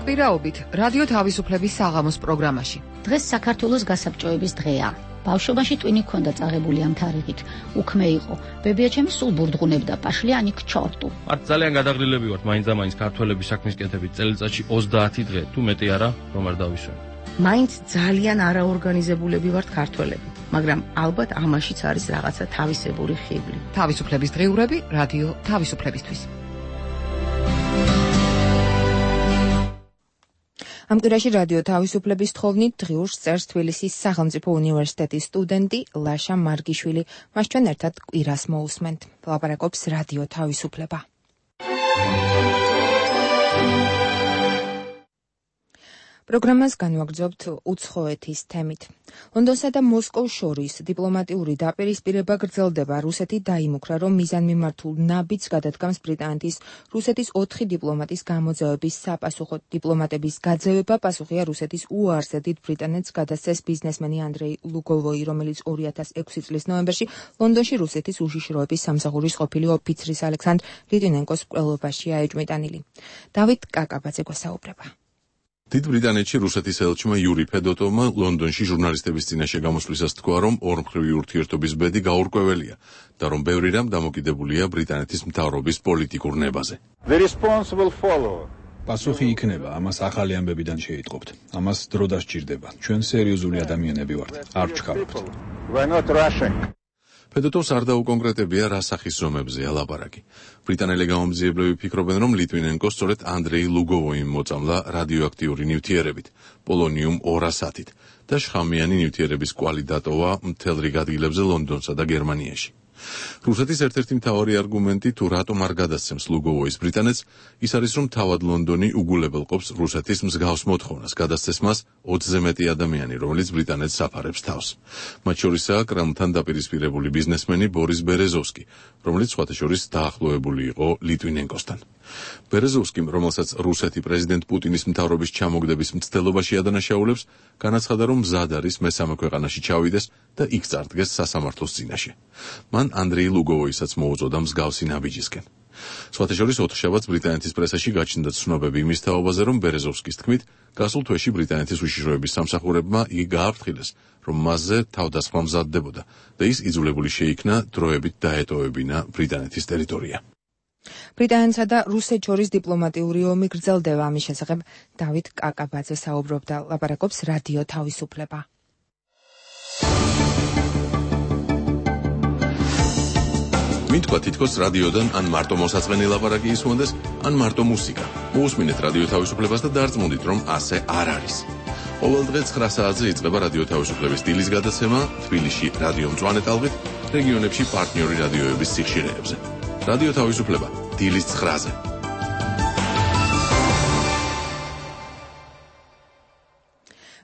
[SPEAKER 21] კვირაობით რადიო თავისუფლების საღამოს პროგრამაში.
[SPEAKER 5] დღეს საქართველოს გასაბჭოების დღეა. ბავშვობაში ტვინი ქონდა წაღებული ამ თარიღით. უქმე იყო. ბებიაჩემი სულ ბურდღუნებდა პაშლიანი ქჩორტუ.
[SPEAKER 9] მათ ძალიან გადაღლილები ვართ მაინც და მაინც ქართველების საქმის კეთებით წელიწადში ოცდაათი დღე თუ მეტი არა რომ არ დავისვენ.
[SPEAKER 23] მაინც ძალიან არაორგანიზებულები ვართ ქართველები, მაგრამ ალბათ ამაშიც არის რაღაცა თავისებური ხიბლი.
[SPEAKER 21] თავისუფლების დღეურები რადიო თავისუფლებისთვის.
[SPEAKER 1] ამ კვირაში რადიო თავისუფლების თხოვნით დღიურს წერს თბილისის სახელმწიფო უნივერსიტეტის სტუდენტი ლაშა მარგიშვილი. მას ჩვენ ერთად კვირას მოусმენთ. ლაპარაკობს რადიო თავისუფლება. პროგრამას განვაგრძობთ უცხოეთის თემით. ლონდონსა და მოსკოვს შორის დიპლომატიური დაპირისპირება გრძელდება. რუსეთი დაიმუქრა, რომ მიზანმიმართულ ნაბიჯს გადადგამს ბრიტანეთის რუსეთის ოთხი დიპლომატის გამოძევების საპასუხოდ. დიპლომატების გაძევება პასუხია რუსეთის უარზე დიდ ბრიტანეთს გადასცეს ბიზნესმენი ანდრეი ლუგოვოი, რომელიც ორი ათას ექვსი წლის ნოემბერში ლონდონში რუსეთის უშიშროების სამსახურის ყოფილი ოფიცრის ალექსანდრ ლიტვინენკოს მკვლელობაშია ეჭვმიტანილი. დავით კაკაბაძე გვესაუბრება.
[SPEAKER 3] დიდ ბრიტანეთში რუსეთის ელჩმა იური ფედოტოვმა ლონდონში ჟურნალისტების წინაშე გამოსვლისას თქვა, რომ ორმხრივი ურთიერთობის ბედი გაურკვეველია და რომ ბევრი რამ დამოკიდებულია ბრიტანეთის მთავრობის პოლიტიკურ ნებაზე.
[SPEAKER 14] პასუხი იქნება, ამას ახალი ამბებიდან შეიტყობთ. ამას დრო დასჭირდება. ჩვენ სერიოზული ადამიანები ვართ, არ ვჩქარობთ.
[SPEAKER 3] ფედოტოვს არ დაუკონკრეტებია რა სახის ზომებზეა ლაპარაკი. ბრიტანელი გამომძიებლები ფიქრობენ, რომ ლიტვინენკო სწორედ ანდრეი ლუგოვოიმ მოწამლა რადიოაქტიური ნივთიერებით, პოლონიუმ ორასათით და შხამიანი ნივთიერების კვალი დატოვა მთელ რიგ ადგილებზე ლონდონსა და გერმანიაში. რუსეთის ერთ-ერთი მთავარი არგუმენტი თუ რატომ არ გადასცემს ლუგოვოის ბრიტანეთს, ის არის, რომ თავად ლონდონი უგულებელყოფს რუსეთის მსგავს მოთხოვნას გადასცეს მას ოცზე მეტი ადამიანი, რომელიც ბრიტანეთს საფარებს თავს. მათ შორისაა კრემლთან დაპირისპირებული ბიზნესმენი ბორის ბერეზოვსკი, რომელიც სხვათა შორის დაახლოებული იყო ლიტვინენკოსთან. ბერეზოვსკიმ, რომელსაც რუსეთი პრეზიდენტ პუტინის მთავრობის ჩამოგდების მცდელობაში ადანაშაულებს, განაცხადა, რომ მზად არის მესამე ქვეყანაში ჩავიდეს და იქ წარდგეს სასამართლოს წინაშე. მან ანდრეი ლუგოვოისაც მოუწოდა მსგავსი ნაბიჯისკენ. სხვათა შორის ოთხშაბათს ბრიტანეთის პრესაში გაჩნდა ცნობები იმის თაობაზე, რომ ბერეზოვსკის თქმით, გასულ თვეში ბრიტანეთის უშიშროების სამსახურებმა იგი გააფრთხილეს, რომ მასზე თავდასხმა მზადდებოდა და ის იძულებული შეიქნა დროებით დაეტოვებინა ბრიტანეთის ტერიტორია.
[SPEAKER 1] ბრიტანეთსა და რუსეთს შორის დიპლომატიური ომი გრძელდება. ამის შესახებ დავით კაკაბაძე საუბრობდა, ლაპარაკობს რადიო თავისუფლება.
[SPEAKER 3] მითქვა თითქოს რადიოდან ან მარტო მოსაწყენი ლაპარაკი ისმონდეს, ან მარტო მუსიკა. მოусმინეთ რადიო თავისუფლებას და დარწმუნდით, რომ ასე არ არის. ყოველ დღე ცხრა საათზე იწყება რადიო თავისუფლების დილის გადაცემა თბილისში რადიო მწვანე ტალღით, რეგიონებში პარტნიორი რადიოების სიხშირეებზე. რადიო თავისუფლება დილის ცხრაზე.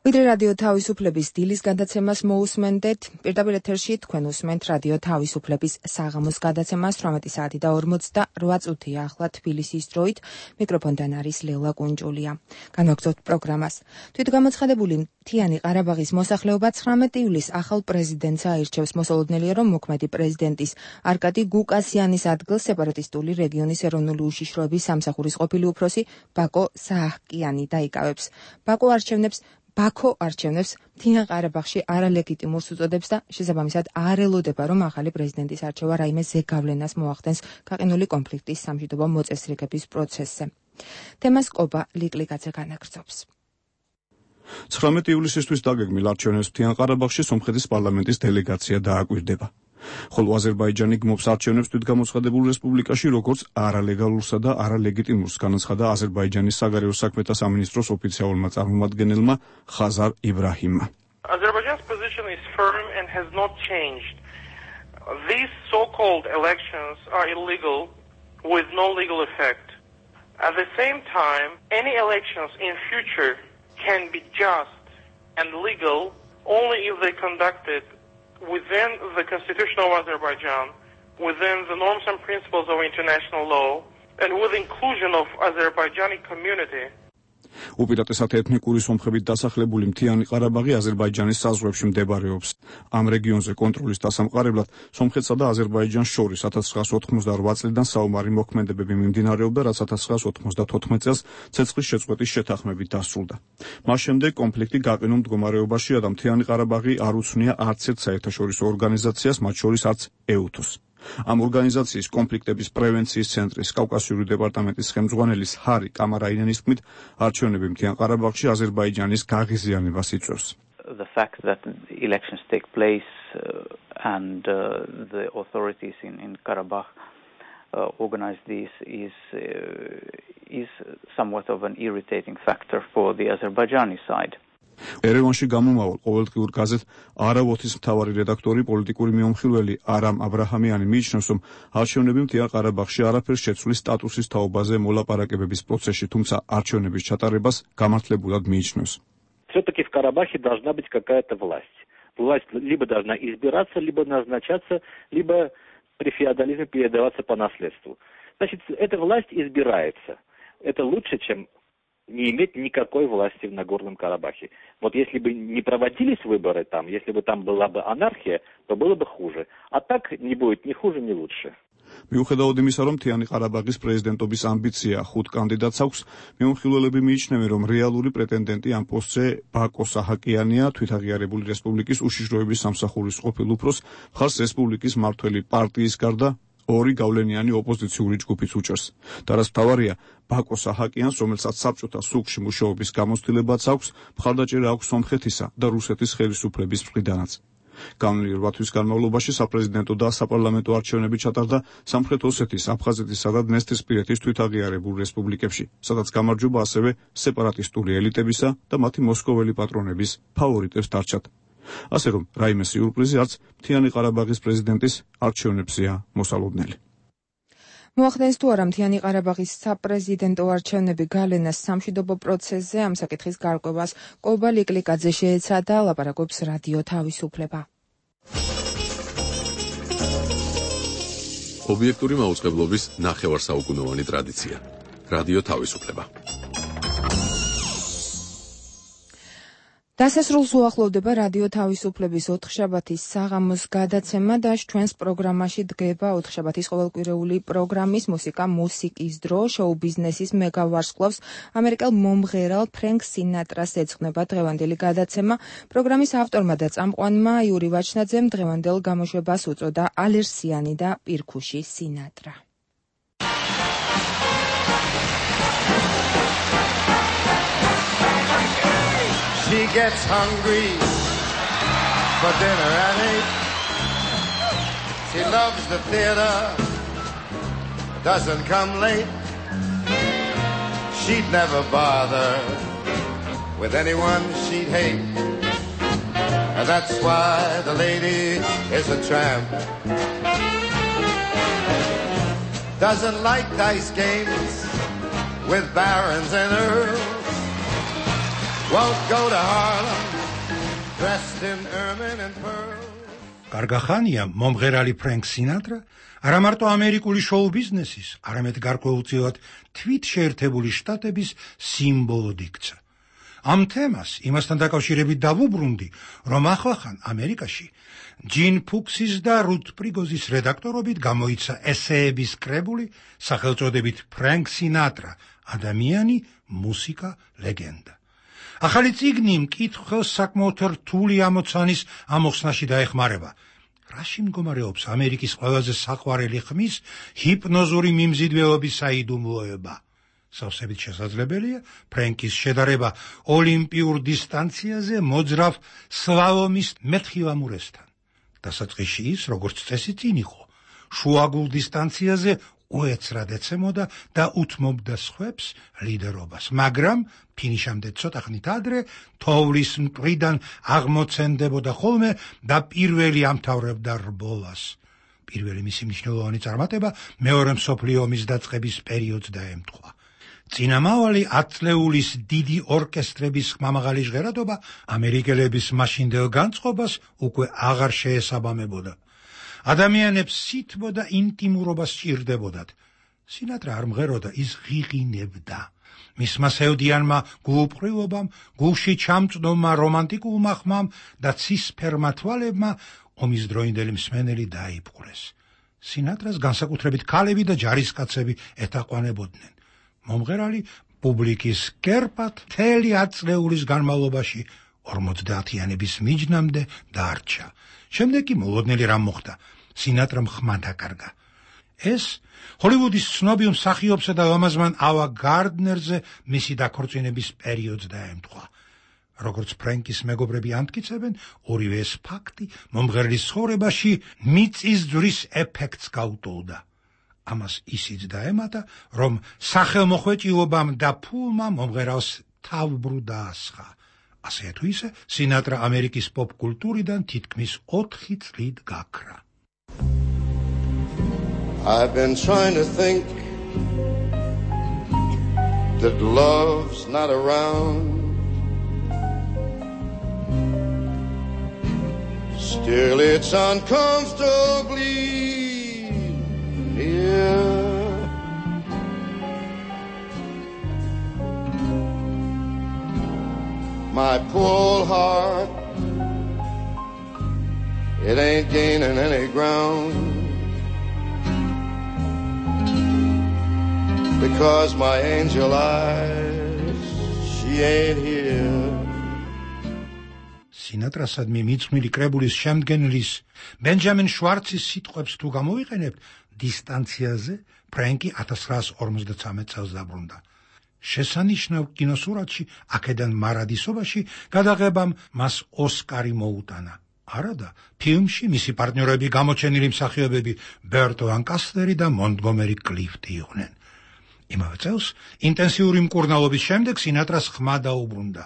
[SPEAKER 3] ვიდრე რადიო თავისუფლების დილის გადაცემას მოусმენდეთ, პირდაპირ ეთერში თქვენ უსმენთ რადიო თავისუფლების საღამოს გადაცემას თვრამეტი საათი და ორმოცდაოთხ წუთია ახლა თბილისის დროით. მიკროფონთან არის ლელა კუნჭულია. განვაგრძობთ პროგრამას. თვითგამოცხადებული მთიანი ყარაბაღის მოსახლეობა ცხრამეტი ივლისს ახალ პრეზიდენტს აირჩევს. მოსალოდნელია, რომ მოქმედი პრეზიდენტის არკადი გუკასიანის ადგილს სეპარატისტული რეგიონის ეროვნული უშიშროების სამსახურის ყოფილი უფროსი ბაკო სააჰკიანი დაიკავებს. ბაკო არჩევნებს ბაქო არჩევნებს მთიან ყარაბაღში არალეგიტიმურს უწოდებს და შესაბამისად არ ელოდება, რომ ახალი პრეზიდენტის არჩევა რაიმე ზეგავლენას მოახდენს გაყინული კონფლიქტის სამშვიდობო მოწესრიგების პროცესზე. თემას კობა ლიკლიკაძე განაგრძობს.
[SPEAKER 15] ცხრამეტი ივლისისთვის დაგეგმილ არჩევნებს მთიან ყარაბაღში სომხეთის პარლამენტის დელეგაცია დააკვირდება. ხოლო აზერბაიჯანი გმობს არჩევნებს თვითგამოცხადებულ რესპუბლიკაში, როგორც არალეგალურსა და არალეგიტიმურს განაცხადა აზერბაიჯანის საგარეო საქმეთა სამინისტროს ოფიციალურმა წარმომადგენელმა ხაზარ იბრაჰიმმა.
[SPEAKER 6] Azerbaijan's position is firm and has not changed. These so-called elections are illegal with no legal effect. At the same time, any elections in future can be just and legal only if they conducted within the constitution of Azerbaijan, within the norms and principles of international law, and with inclusion of Azerbaijani community.
[SPEAKER 15] უპირატესად ეთნიკური სომხებით დასახლებული მთიანი ყარაბაღი აზერბაიჯანის საზღვრებში მდებარეობს. ამ რეგიონზე კონტროლის დასამყარებლად სომხეთსა და აზერბაიჯანს შორის ათას ცხრაასი ოცდაოთხ წლიდან საომარი მოქმედებები მიმდინარეობდა, რაც ათას ცხრაასი ოცდათოთხმეტ წელს ცეცხლის შეწყვეტის შეთანხმებით დასრულდა. მას შემდეგ კონფლიქტი გაყინულ მდგომარეობაშია და მთიანი ყარაბაღი არ უცნია არც ერთ საერთაშორისო ორგანიზაციას, მათ შორის არც ეუთოს. ამ ორგანიზაციის კონფლიქტების პრევენციის ცენტრის კავკასიური დეპარტამენტის ხელმძღვანელის ჰარი კამარაინენის თქმით, არჩევნები მთიან ყარაბაღში აზერბაიჯანის გაღიზიანებას იწვევს.
[SPEAKER 10] The fact that elections take place uh, and uh, the authorities in, in Karabakh uh, organize this is uh, is somewhat of an irritating factor for the Azerbaijani side.
[SPEAKER 15] ერევანში გამომავალ ყოველდღიურ გაზეთ არავოთის მთავარი რედაქტორი პოლიტიკური მიმოხილველი არამ აბრაჰამიანი მიიჩნევს, რომ არჩევნები მთიან ყარაბაღში არაფერს შეცვლის სტატუსის თაობაზე მოლაპარაკებების პროცესში, თუმცა არჩევნების ჩატარებას გამართლებულად მიიჩნევს.
[SPEAKER 12] Все-таки в Карабахе должна быть какая-то власть. Власть либо должна избираться, либо назначаться, либо при феодализме передаваться по наследству. Значит, эта власть избирается. Это лучше, чем не иметь никакой власти в Нагорном Карабахе. Вот если бы не проводились выборы там, если бы там была бы анархия, то было бы хуже. А так не будет ни хуже, ни лучше.
[SPEAKER 15] მიუხედავად იმისა, რომ მთიანი ყარაბაღის პრეზიდენტობის ამბიცია ხუთ კანდიდატს აქვს, მიმოხილველები მიიჩნევენ, რომ რეალური პრეტენდენტი ამ პოსტზე ბაკო საჰაკიანია, თვითაღიარებული რესპუბლიკის უშიშროების სამსახურის ყოფილ უფროს, მხარს რესპუბლიკის მმართველი პარტიის გარდა ორი გავლენიანი ოპოზიციური ჯგუფიც უჭერს. და რაც მთავარია, ბაკო საჰაკიანს, რომელსაც საბჭოთა სულხში მუშაობის გამოცდილებაც აქვს, მხარდაჭერა აქვს სომხეთისა და რუსეთის ხელისუფლების მხრიდანაც. განვლილი რვა თვის განმავლობაში საპრეზიდენტო და საპარლამენტო არჩევნები ჩატარდა სამხრეთ ოსეთის, აფხაზეთისა და დნესტრისპირეთის თვითაღიარებულ რესპუბლიკებში, სადაც გამარჯვება ასევე სეპარატისტული ელიტებისა და მათი მოსკოველი პატრონების ფავორიტებს დარჩათ. ასე რომ, რაიმე სიურპრიზი არც მთიანი ყარაბაღის პრეზიდენტის არჩევნებზეა მოსალოდნელი.
[SPEAKER 1] მოახდენს თუ არა მთიანი ყარაბაღის საპრეზიდენტო არჩევნები გავლენას სამშვიდობო პროცესზე, ამ საკითხის გარკვევას კობა ლიკლიკაძე შეეცადა, ლაპარაკობს რადიო თავისუფლება.
[SPEAKER 3] ობიექტური მაუწყებლობის ნახევარსაუკუნოვანი ტრადიცია. რადიო თავისუფლება.
[SPEAKER 1] დასასრულს უახლოვდება რადიო თავისუფლების ოთხშაბათის საღამოს გადაცემა და ჩვენს პროგრამაში დგება ოთხშაბათის ყოველკვირეული პროგრამის მუსიკა მუსიკის დრო. შოუ ბიზნესის მეგა ვარსკვლავს ამერიკელ მომღერალ ფრენკ სინატრას ეძღვნება დღევანდელი გადაცემა. პროგრამის ავტორმა და წამყვანმა იური ვაჩნაძემ დღევანდელ გამოშვებას უწოდა ალერსიანი და პირქუში სინატრა.
[SPEAKER 11] She gets hungry for dinner at eight. She loves the theater, doesn't come late. She'd never bother with anyone she'd hate. And that's why the lady is a tramp. Doesn't like dice games with barons and earls. Won't go to Harlem, dressed in ermine and pearls.
[SPEAKER 13] Კარგახანია მომღერალი ფრენკ სინატრა არა მარტო ამერიკული შოუ ბიზნესის, არამედ გარკვეულწილად თვით შეერთებული შტატების სიმბოლოდ იქცა. ამ თემას იმასთან დაკავშირებით დავუბრუნდი, რომ ახლახან ამერიკაში ჯინ ფუქსის და რუთ პრიგოზის რედაქტორობით გამოიცა ესეების კრებული სახელწოდებით ფრენკ სინატრა, ადამიანი, მუსიკა, ლეგენდა. ახალი წიგნი მკითხველს საკმაოდ რთული ამოცანის ამოხსნაში დაეხმარება. რაში მდგომარეობს ამერიკის ყველაზე საყვარელი ხმის ჰიპნოზური მიმზიდველობის საიდუმლოება? სავსებით შესაძლებელია ფრენკის შედარება ოლიმპიურ დისტანციაზე მოძრავ სლალომის მეთხილამურესთან. დასაწყისში ის, როგორც წესი წინ იყო, შუაგულ დისტანციაზე უეცრად ეცემოდა და უთმობდა სხვებს ლიდერობას, მაგრამ ფინიშამდე ცოტა ხნით ადრე თოვლის მტრიდან აღმოცენდებოდა ხოლმე და პირველი ამთავრებდა რბოლას. პირველი მისი მნიშვნელოვანი წარმატება მეორე მსოფლიო ომის დაწყების პერიოდს დაემთხვა. წინამავალი ათწლეულის დიდი ორკესტრების ხმამაღალი ჟღერადობა ამერიკელების მაშინდელ განწყობას უკვე აღარ შეესაბამებოდა. ადამიანებს სითბო და ინტიმურობა სჭირდებოდათ. სინატრა არ მღეროდა, ის ღიღინებდა. მისმა სევდიანმა გულუბრყვილობამ, გულში ჩამწდომმა რომანტიკულმა ხმამ და ცისფერმა თვალებმა ომის დროინდელი მსმენელი დაიპყრეს. სინატრას განსაკუთრებით ქალები და ჯარისკაცები ეთაყვანებოდნენ. მომღერალი პუბლიკის კერპად მთელი ათწლეულის განმავლობაში ორმოცდაათიანების მიჯნამდე დარჩა. შემდეგ კი მოლოდნელი რამ მოხდა. სინატრამ ხმა დაკარგა. ეს ჰოლივუდის ცნობილ მსახიობსა და ლამაზმან ავა გარდნერზე მისი დაქორწინების პერიოდს დაემთხვა. როგორც ფრენკის მეგობრები ამტკიცებენ, ორივე ეს ფაქტი მომღერლის ცხოვრებაში მიწის ძვრის ეფექტს გაუტოლდა. ამას ისიც დაემატა, რომ სახელმოხვეჭილობამ და ფულმა მომღერალს თავბრუ დაასხა. ასე თუ ისე, სინატრა ამერიკის პოპ კულტურიდან თითქმის ოთხი წლით გაქრა.
[SPEAKER 11] I've been trying to think that love's not around. Still it's uncomfortably near. My poor heart, it ain't gaining any ground, because my angel eyes, she ain't here.
[SPEAKER 13] სინატრასადმი მიძღვნილი კრებულის შემდგენლის ბენჯამინ შვარცის სიტყვებს თუ გამოვიყენებთ, დისტანციაზე ფრენკი ათას ცხრაას ორმოცდათვრამეტ წელს დაბრუნდა. შესანიშნავ კინოსურათში აქედან მარადისობაში გადაღებამ მას ოსკარი მოუტანა. არადა, ფილმში მისი პარტნიორები გამოჩენილი მსახიობები ბერტ ლანკასტერი და მონტგომერი კლიფტი იყვნენ. იმავე წელს ინტენსიური მკურნალობის შემდეგ სინატრას ხმა დაუბრუნდა.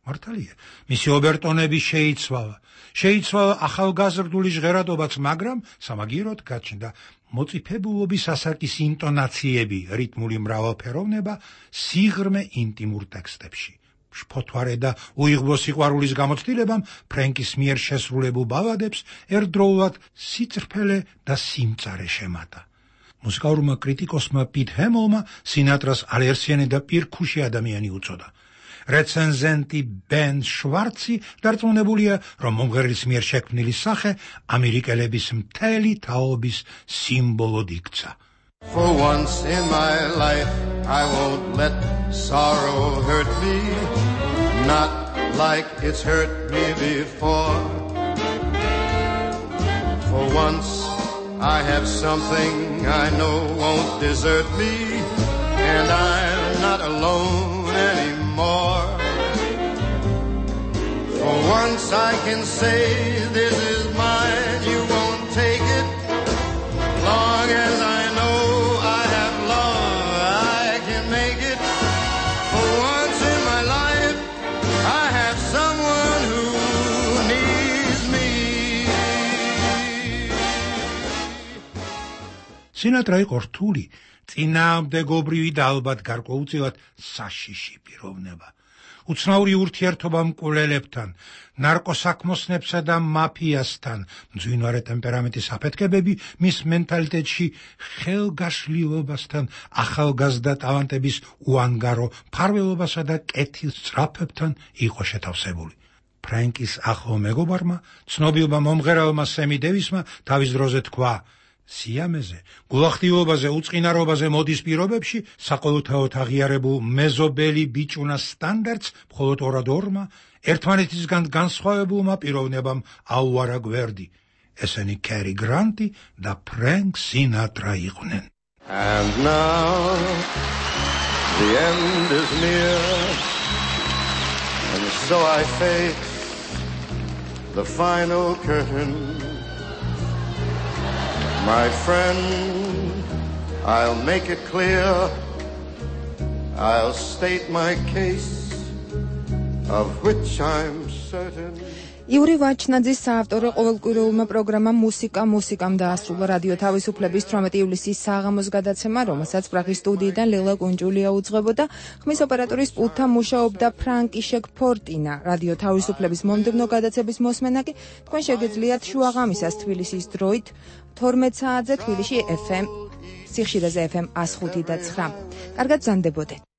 [SPEAKER 13] მართალია, მისი ობერტონები შეიცვალა. შეიცვალა ახალგაზრდული ჟღერადობაც, მაგრამ სამაგიეროდ გაჩნდა მოწიფებულობის ასაკის ინტონაციები, რიტმული მრავალფეროვნება, სიღრმე ინტიმურ ტექსტებში. შფოთვარე და უიღბლო სიყვარულის გამოცდილებამ ფრენკის მიერ შესრულებულ ბალადებს ერთდროულად სიწრფელე და სიმწარე შემატა. მუსიკალურმა კრიტიკოსმა პიტ ჰემელმა სინატრას ალერსიანი და პირქუში ადამიანი უწოდა. რეცენზენტი ბენ შვარცი დარწმუნებულია, რომ მომღერლის მიერ შექმნილი სახე ამერიკელების მთელი თაობის სიმბოლოდ იქცა.
[SPEAKER 11] For once in my life I won't let sorrow hurt me, not like it's hurt me before. For once I have something I know won't desert me, and I'm not alone anymore. For once I can say this is mine, you won't take it. Long as I know I have love, I can make it. For once in my life I have someone who needs me.
[SPEAKER 13] სინატრა იყო რთული, წინააღმდეგობრივი და ალბათ გარკვეულწილად საშიში პიროვნება. უცნაური ურთიერთობა მკვლელებთან, ნარკოსაქმოსნებსა და მაფიასთან, მძვინვარე ტემპერამენტის აფეთქებები მის მენტალიტეტში ხელგაშლილობასთან, ახალგაზრდა ტალანტების უანგარო მფარველობასა და კეთილსწრაფებთან იყო შეთავსებული. ფრენკის ახლო მეგობარმა, ცნობილმა მომღერალმა სემი დევისმა თავის დროზე თქვა: სიამეზე, გულახდილობაზე, უწყინარობაზე მოდის პირობებში საყოველთაოდ აღიარებულ მეზობელი ბიჭუნას სტანდარტს მხოლოდ ორადორმა ერთმანეთისგან განსხვავებულმა პიროვნებამ აუარა გვერდი. ესენი კერი გრანტი და ფრენკ სინატრა იყვნენ.
[SPEAKER 11] And now the end is near, and so I face the final curtain. My friend, I'll make it clear, I'll state my case, of which I'm certain.
[SPEAKER 1] იური ვაჩნაძის საავტორო ყოველკვირეულმა პროგრამამ მუსიკა მუსიკამ დაასრულა რადიო თავისუფლების თვრამეტი ივლისის საღამოს გადაცემა, რომელსაც პრაღის სტუდიიდან ლელა კუნჯულია უძღვებოდა. ხმის ოპერატორის პულტთან მუშაობდა ფრანკიშეკ ფორტინა. რადიო თავისუფლების მომდევნო გადაცემის მოსმენა კი თქვენ შეგეძლიათ შუაღამისას თბილისის დროით თორმეტ საათზე თბილისში ეფ ემ სიხშირეზე ეფ ემ one oh five და nine. კარგად გზანდებოდეთ.